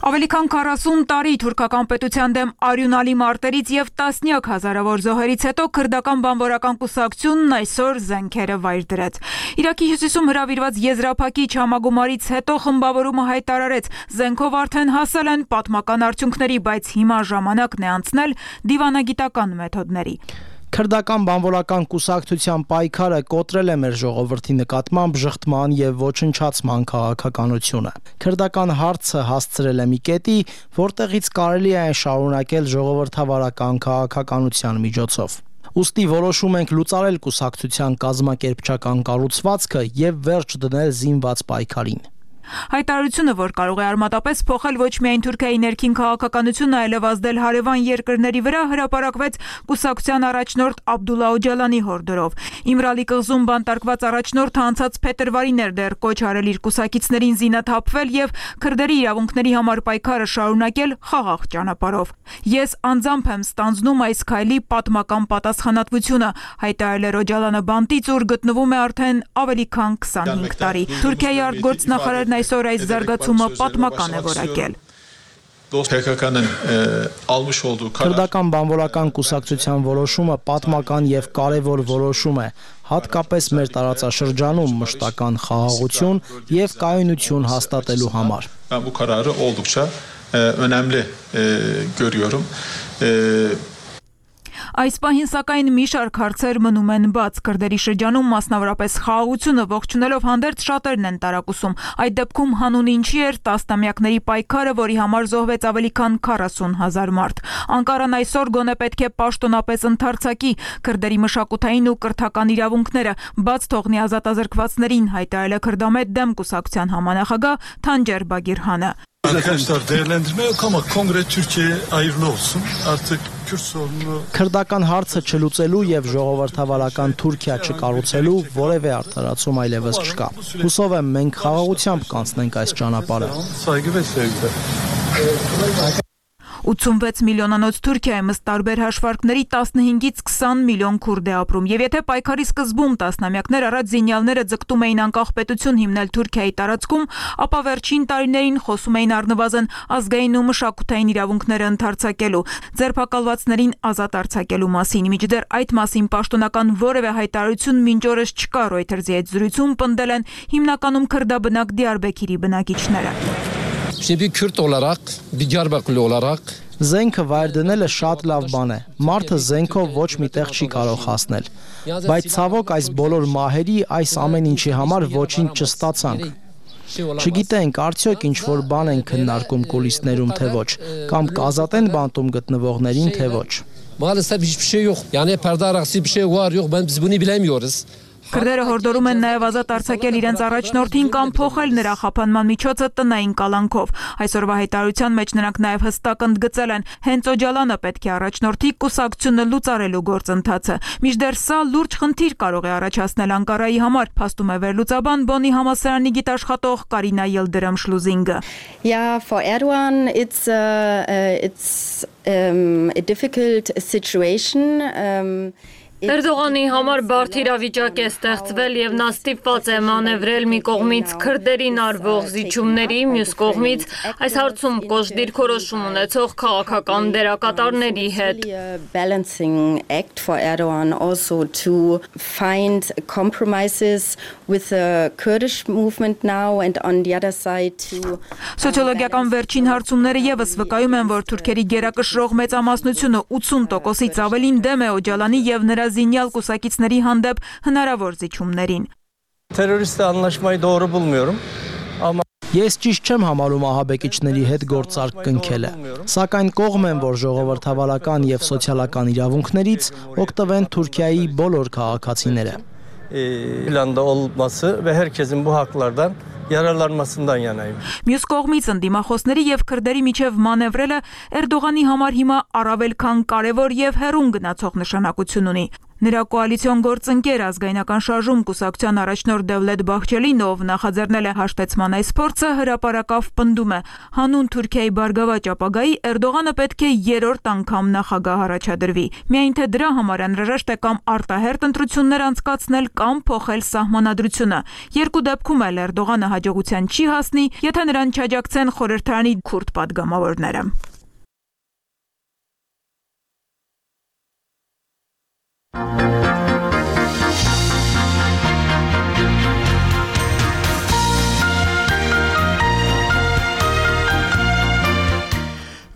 Ավելի քան 40 տարի թուրքական պետության դեմ արյունալի մարտերից եւ տասնյակ հազարավոր զոհերից հետո քրդական բանվորական կուսակցությունն այսօր զենքերը վայր դրեց։ Իրաքի հյուսիսում հրավիրված եզրափակիչ համագումարից հետո խմբավորումը հայտարարեց, զենքով արդեն հասել են պատմական արդյունքների, բայց հիմա ժամանակն է անցնել դիվանագիտական մեթոդների։ Քրդական բանվորական կուսակցության պայքարը կոտրել է մեր ժողովրդի նկատմամբ ժխտման եւ ոչնչացման քաղաքականությունը։ Քրդական հարցը հասցրել է մի կետի, որտեղից կարելի է շարունակել ժողովրդավարական քաղաքականության միջոցով։ Ուստի որոշում ենք լուծարել կուսակցության կազմակերպչական կառուցվածքը եւ վերջ դնել զինված պայքարին։ Հայտարարությունը, որ կարող է արմատապես փոխել ոչ միայն Թուրքիայի ներքին քաղաքականությունը, այլև ազդել հարևան երկրների վրա, հրապարակվեց կուսակցության առաջնորդ Աբդուլլա Օջալանի հորդորով։ Իմրալի կղզում բանտարկված առաջնորդը անցած փետրվարին էր դեռ կոչ արել իր կուսակիցներին զինաթափվել եւ քրդերի իրավունքների համար պայքարը շարունակել խաղաղ ճանապարհով։ Ես անձամբ եմ ստանձնում այս քայլի պատմական պատասխանատվությունը, հայտարարել է Օջալանը բանտից, ուր գտնվում է արդեն ավելի քան 25 տարի։ Թուրքիայի արտգործնախարարն այսօր այս զարգացումը պատմական է որակել։ Քրդական բանվորական կուսակցության որոշումը պատմական եւ կարեւոր որոշում է, հատկապես մեր տարածաշրջանում մշտական խաղաղություն եւ կայունություն հաստատելու համար։ Bu kararı oldukça önemli görüyorum. Այս պահին սակայն մի շարք հարցեր մնում են բաց։ Քրդերի շրջանում մասնավորապես խաղաղությունը ողջունելով հանդերձ շատերն են տարակուսում։ Այդ դեպքում հանուն ինչի էր տասնամյակների պայքարը, որի համար զոհվեց ավելի քան 40,000 մարդ։ Անկարան այսօր գոնե պետք է պաշտոնապես ընդարձակի քրդերի մշակութային ու կրթական իրավունքները, բաց թողնի ազատազրկվածներին, հայտարարել է քրդամետ դեմ կուսակցության համանախագահ Թանջեր Բագիրհանը։ Arkadaşlar değerlendirme yok ama Kongre Türkiye'ye hayırlı olsun. Artık Kürt sorunu Քրդական հարցը չլուծելու եւ ժողովրդավարական Թուրքիա չկառուցելու որևէ արդարացում այլևս չկա։ Հուսով եմ մենք խաղաղությամբ կանցնենք այս ճանապարհը։ Saygı ve sevgi. 86 միլիոնանոց Թուրքիայում ըստ տարբեր հաշվարկների 15-ից 20 միլիոն քուրդ է ապրում, եւ եթե պայքարի սկզբում տասնամյակներ առաջ զինյալները ձգտում էին անկախ պետություն հիմնել Թուրքիայի տարածքում, ապա վերջին տարիներին խոսում էին առնվազն ազգային ու մշակութային իրավունքները ընդարձակելու, ձերբակալվածներին ազատ արձակելու մասին։ Միջդեռ այդ մասին պաշտոնական որևէ հայտարարություն մինչ օրս չկա, Reuters-ի հետ զրույցում պնդել են հիմնականում քրդաբնակ Դիարբեքիրի բնակիչները։ Bir Kürt olarak, bir Diyarbakırlı olarak Զենքը վայր դնելը շատ լավ բան է։ Մարդը զենքով ոչ մի տեղ չի կարող հասնել։ Բայց ցավոք այս բոլոր մահերի, այս ամեն ինչի համար ոչինչ չստացանք։ Չգիտենք արդյոք ինչ որ բան են քննարկում կուլիսներում թե ոչ, կամ կազատեն բանտում գտնվողներին թե ոչ։ Maalesef hiçbir şey yok. Yani perde arkası bir şey var yok. Biz bunu bilemiyoruz. Քրդերը հորդորում են նաև ազատ արձակել իրենց առաջնորդին կամ փոխել նրա խափանման միջոցը տնային կալանքով։ Այսօրվա հայտարարության մեջ նրանք նաև հստակ ընդգծել են, հենց Օջալանը պետք է առաջնորդի կուսակցությունը լուծարելու գործընթացը։ Մինչդեռ սա լուրջ խնդիր կարող է առաջացնել Անկարայի համար, փաստում է վերլուծաբան Բոնի համալսարանի գիտաշխատող Կարինա Ելդրամ Շլուզինգը։ Yeah, for Erdogan it's a difficult situation. Էրդողանի համար բարդ իրավիճակ է ստեղծվել եւ նա ստիպված է մանևրել մի կողմից քրդերին արվող զիջումների, մյուս կողմից այս հարցում կոշտ դիրքորոշում ունեցող քաղաքական դերակատարների հետ։ Balancing act for Erdogan also to find compromises with the Kurdish movement now and on the other side to Սոցիոլոգիական վերջին հարցումները եւս վկայում են, որ թուրքերի գերակշռող մեծամասնությունը 80%-ից ավելին դեմ է Օջալանի եւ նրա զինյալ կուսակիցների հանդեպ հնարավոր զիջումներին։ Teröristle anlaşmayı doğru bulmuyorum ama Ես ճիշտ չեմ համարում ահաբեկիչների հետ գործարք կնքելը, սակայն կողմ եմ, որ ժողովրդավարական եւ սոցիալական իրավունքներից օգտվեն Թուրքիայի բոլոր քաղաքացիները։ Planda olması ve herkesin bu haklardan yararlanmasından yanayım. Մյուս կողմից ընդդիմախոսների եւ քրդերի միջև մանևրելը Էրդողանի համար հիմա առավել քան կարևոր եւ հեռուն գնացող նշանակություն ունի։ Նրա կոալիցիոն գործընկեր ազգայնական շարժում կուսակցության առաջնորդ Դևլետ Բախչելին, ով նախաձեռնել է հաշտեցման այս փորձը, հրապարակավ պնդում է. հանուն Թուրքիայի բարգավաճ ապագայի Էրդողանը պետք է երրորդ անգամ նախագահ առաջադրվի։ Միայն թե դրա համար անհրաժեշտ է կամ արտահերթ ընտրություններ անցկացնել կամ փոխել սահմանադրությունը։ Երկու դեպքում էլ Էրդողանը հաջողության չի հասնի, եթե նրան չաջակցեն խորհրդարանի քուրդ պատգամավորները։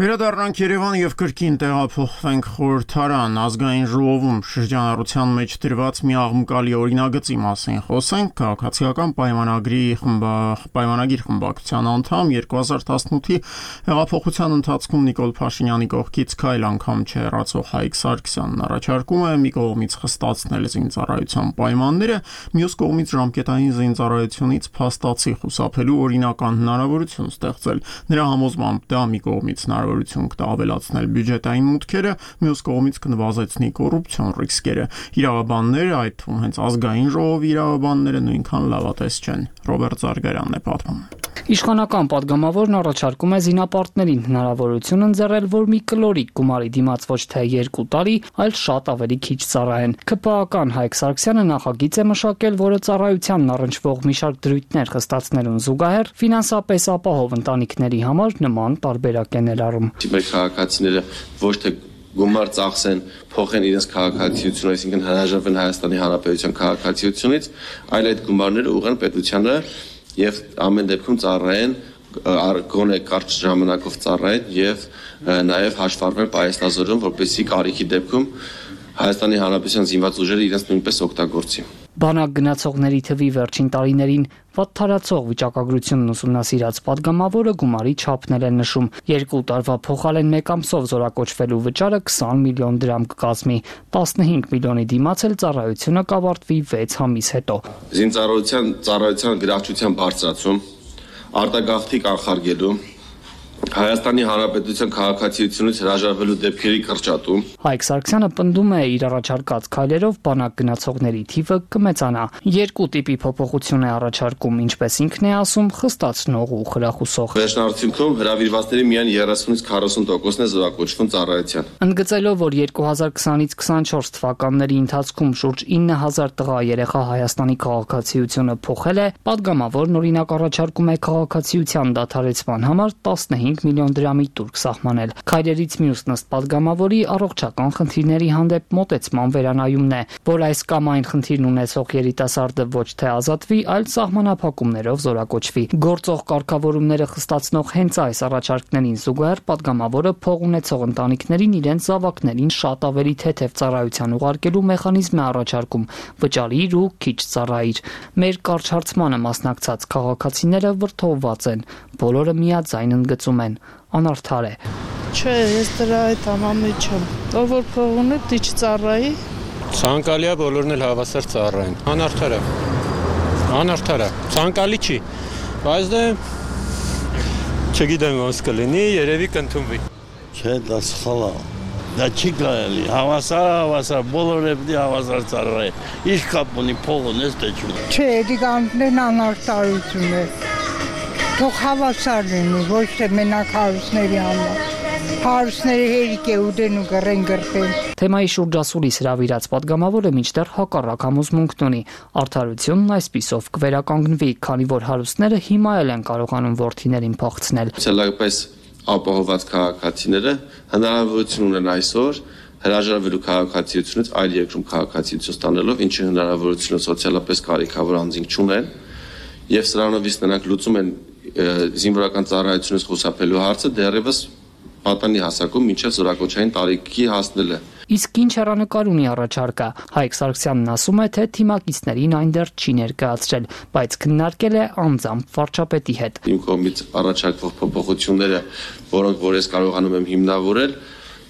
Վերադառնանք Երևան եւ կրկին տեղափոխվենք խորհրդարան ազգային ժողովում շրջանառության մեջ դրված մի աղմկալի օրինագծի մասին խոսենք քաղաքացիական պայմանագիր խմբակցության անդամ 2018-ի հեղափոխության ընթացքում Նիկոլ Փաշինյանի կողքից քայլ անգամ չհեռացող Հայկ Սարգսյանն առաջարկում է մի կողմից խստացնել զինծառայության պայմանները, մյուս կողմից ժամկետային զինծառայությունից փաստացի խուսափելու օրինական հնարավորություն ստեղծել։ Նրա համոզմամբ դա մի կողմից կավելացնել բյուջետային մուտքերը, մյուս կողմից կնվազեցնի կոռուպցիոն ռիսկերը։ Իրավաբանները, այդ թվում հենց ազգային ժողովի իրավաբանները նույնքան լավատես չեն։ Ռոբերտ Զարգարյանն է պատմում։ Իշխանական падգամավորն առաջարկում է զինապարտներին հնարավորություն ընձեռել, որ մի կլորիկ գումարի դիմաց ոչ թե 2 տարի, այլ շատ ավելի քիչ ծառայեն։ ԿՊԱ-ական Հայկ Սարգսյանը նախագիծ է մշակել, որը ծառայությանն առնչվող մի շարք դրույթներ խստացնելուն զուգահեռ ֆինանսապես ապահով ընտանիքների համար նման տարբերակ է ներառում։ Մեր քաղաքացիները ոչ թե գումար ծախսեն, փոխեն իրենց քաղաքացիությունը, այսինքն հրաժարվեն Հայաստանի Հանրապետության քաղաքացիությունից, այլ այդ գումարները ուղղեն պետությանը եւ ամեն դեպքում ծառայեն գոնե կարճ ժամանակով ծառայեն եւ նաեւ հաշվառվեն պայեստազորում, որպեսզի կարիքի դեպքում Հայաստանի Հանրապետության զինված ուժերը իրենց նույնպես օգտագործի։ Բանակ գնացողների թվի վերջին տարիներին վատթարացող վիճակագրությունն ուսումնասիրած падգամավորը գումարի չափն է նշում։ 2 տարվա փոխարեն 1 ամսով զորակոչվելու վճարը 20 միլիոն դրամ կկազմի, 15 միլիոնի դիմաց էլ ծառայությունը կավարտվի 6 ամիս հետո։ Ծառայության գրավչության բարձրացում, արտագաղթի կանխարգելու, Հայաստանի Հանրապետության քաղաքացիությունից հրաժարվելու դեպքերի կրճատում։ Հայկ Սարգսյանը պնդում է իր առաջարկած քայլերով բանակ գնացողների թիվը կմեծանա։ 2 տիպի փոփոխություն է առաջարկում, ինչպես ինքն է ասում, խստացնող ու խրախուսող։ Վերջնարդյունքում հրավիրվածների միայն 30-ից 40%-ն է զորակոչվում ծառայության։ Ընդգծելով, որ 2020-ից 24 թվականների ընթացքում շուրջ 9000 տղա երեխա Հայաստանի քաղաքացիությունը փոխել է, падգամավորն օրինակ առաջարկում է քաղաքացիության դադարեցման համար 15 միլիոն դրամի տուրք սահմանել։ Քայլերից մյուսն ըստ падգամավորի առողջական խնդիրների հանդեպ մոտեցման վերանայումն է, որ այս կամ այն խնդիրն ունեցող երիտասարդը ոչ թե ազատվի, այլ սահմանափակումներով զորակոչվի։ Գործող կարգավորումները խստացնող հենց այս առաջարկներին զուգահեռ падգամավորը փող ունեցող ընտանիքներին իրենց զավակներին շատ ավելի թեթև ծառայության ուղարկելու մեխանիզմ է առաջարկում՝ վճարիր ու քիչ ծառայիր։ Մեր կարճ հարցմանը մասնակցած քաղաքացիները վրդովված են, բոլորը միաձայն ընդգծում են, անարդար է։ Չէ, ես դրա այդ անամի չեմ։ Ով որ փող ունի, դիչ ծառայի։ Ցանկալի է բոլորն էլ հավասար ծառայեն։ Անարդար է։ Անարդար է։ Ցանկալի չի, բայց դե չգիտեմ ոնց կլինի, երևի կընդունվի։ Չէ, դա սխալ է։ Դա չի կարելի, հավասար, բոլորը պետք է հավասար ծառայեն։ Ինչ կապ ունի փող ունես, թե չունես։ Չէ, դիգանտներն անարդարություն է։ Թող հավասար լինի, ոչ թե մենակ հարուստների համար։ Հարուստների հերիք է ուտեն ու գրեն գրտեն։ Թեմայի շուրջ ասուլիս հրավիրած падգամավորը մինչդեռ հակառակ համոզմունքն ունի։ Արդարությունն այսպիսով կվերականգնվի, քանի որ հարուստները հիմա էլ են կարողանում որդիներին փախցնել։ Ցելապես ապահոված քաղաքացիները հնարավորություն ունեն այսօր հրաժարվելու քաղաքացիությունից այլ երկրում քաղաքացիություն ստանալով, ինչը հնարավորությունը սոցիալապես կարիքավոր անձինք չունեն, եւ սրանով իսկ նրանք լուծում են զինվորական ծառայությունից խուսափելու հարցը դեռևս պատանի հասակում մինչև զորակոչային տարիքի հասնելը։ Իսկ ինչ հեռանկար ունի առաջարկը։ Հայկ Սարգսյանն ասում է, թե թիմակիցներին այն դեռ չի ներկայացրել, բայց քննարկել է անձամբ վարչապետի հետ։ Իմ կողմից առաջարկվող փոփոխությունները, որոնք որ ես կարողանում եմ հիմնավորել,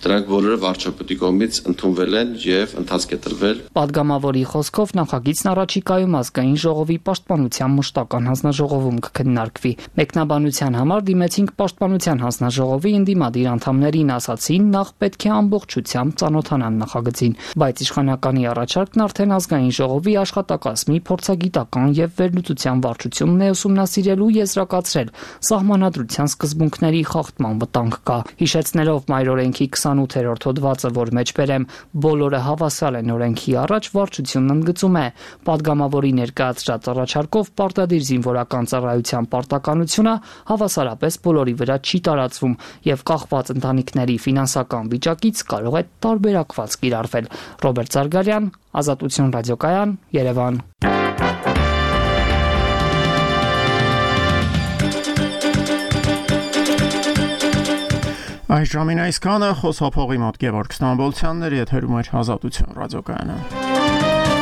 դրանք բոլորը վարչապետի կողմից ընդունվել են եւ ընթացք է տրվել։ Պատգամավորի խոսքով նախագիծն առաջիկայում ազգային ժողովի պաշտպանության մշտական հանձնաժողովում կքննարկվի։ Մեկնաբանության համար դիմեցինք պաշտպանության հանձնաժողովի ընդդիմադիր անդամներին, ասացին, նախ պետք է ամբողջությամբ ծանոթանան նախագծին, բայց իշխանականի առաջարկն արդեն ազգային ժողովի աշխատակազմի փորձագիտական եւ վերլուծության վարչությունն է ուսումնասիրելու եզրակացրել սահմանադրության սկզբունքների խախտման վտանգ կա։ Հիշեցնելով մայրօրենքի 28-րդ հոդվածը, որ մեջբերեմ բոլորը հավասար են օրենքի առաջ, վարչությունն ընդգծում է, պատգամավորի ներկայացրած առաջարկով պարտադիր զինվորական ծառայության պարտականությունը հավասարապես բոլորի վրա չի տարածվում եւ կախված ընտանիքների ֆինանսական վիճակից կարող է տարբերակված կիրառվել։ Ռոբերտ Զարգարյան, Ազատություն ռադիոկայան, Երևան։ Այս ժամին այսքանը, խոսափողի մոտ Գևորգ Ստամբոլցյանն էր, եթերում էր Ազատություն ռադիոկայանը։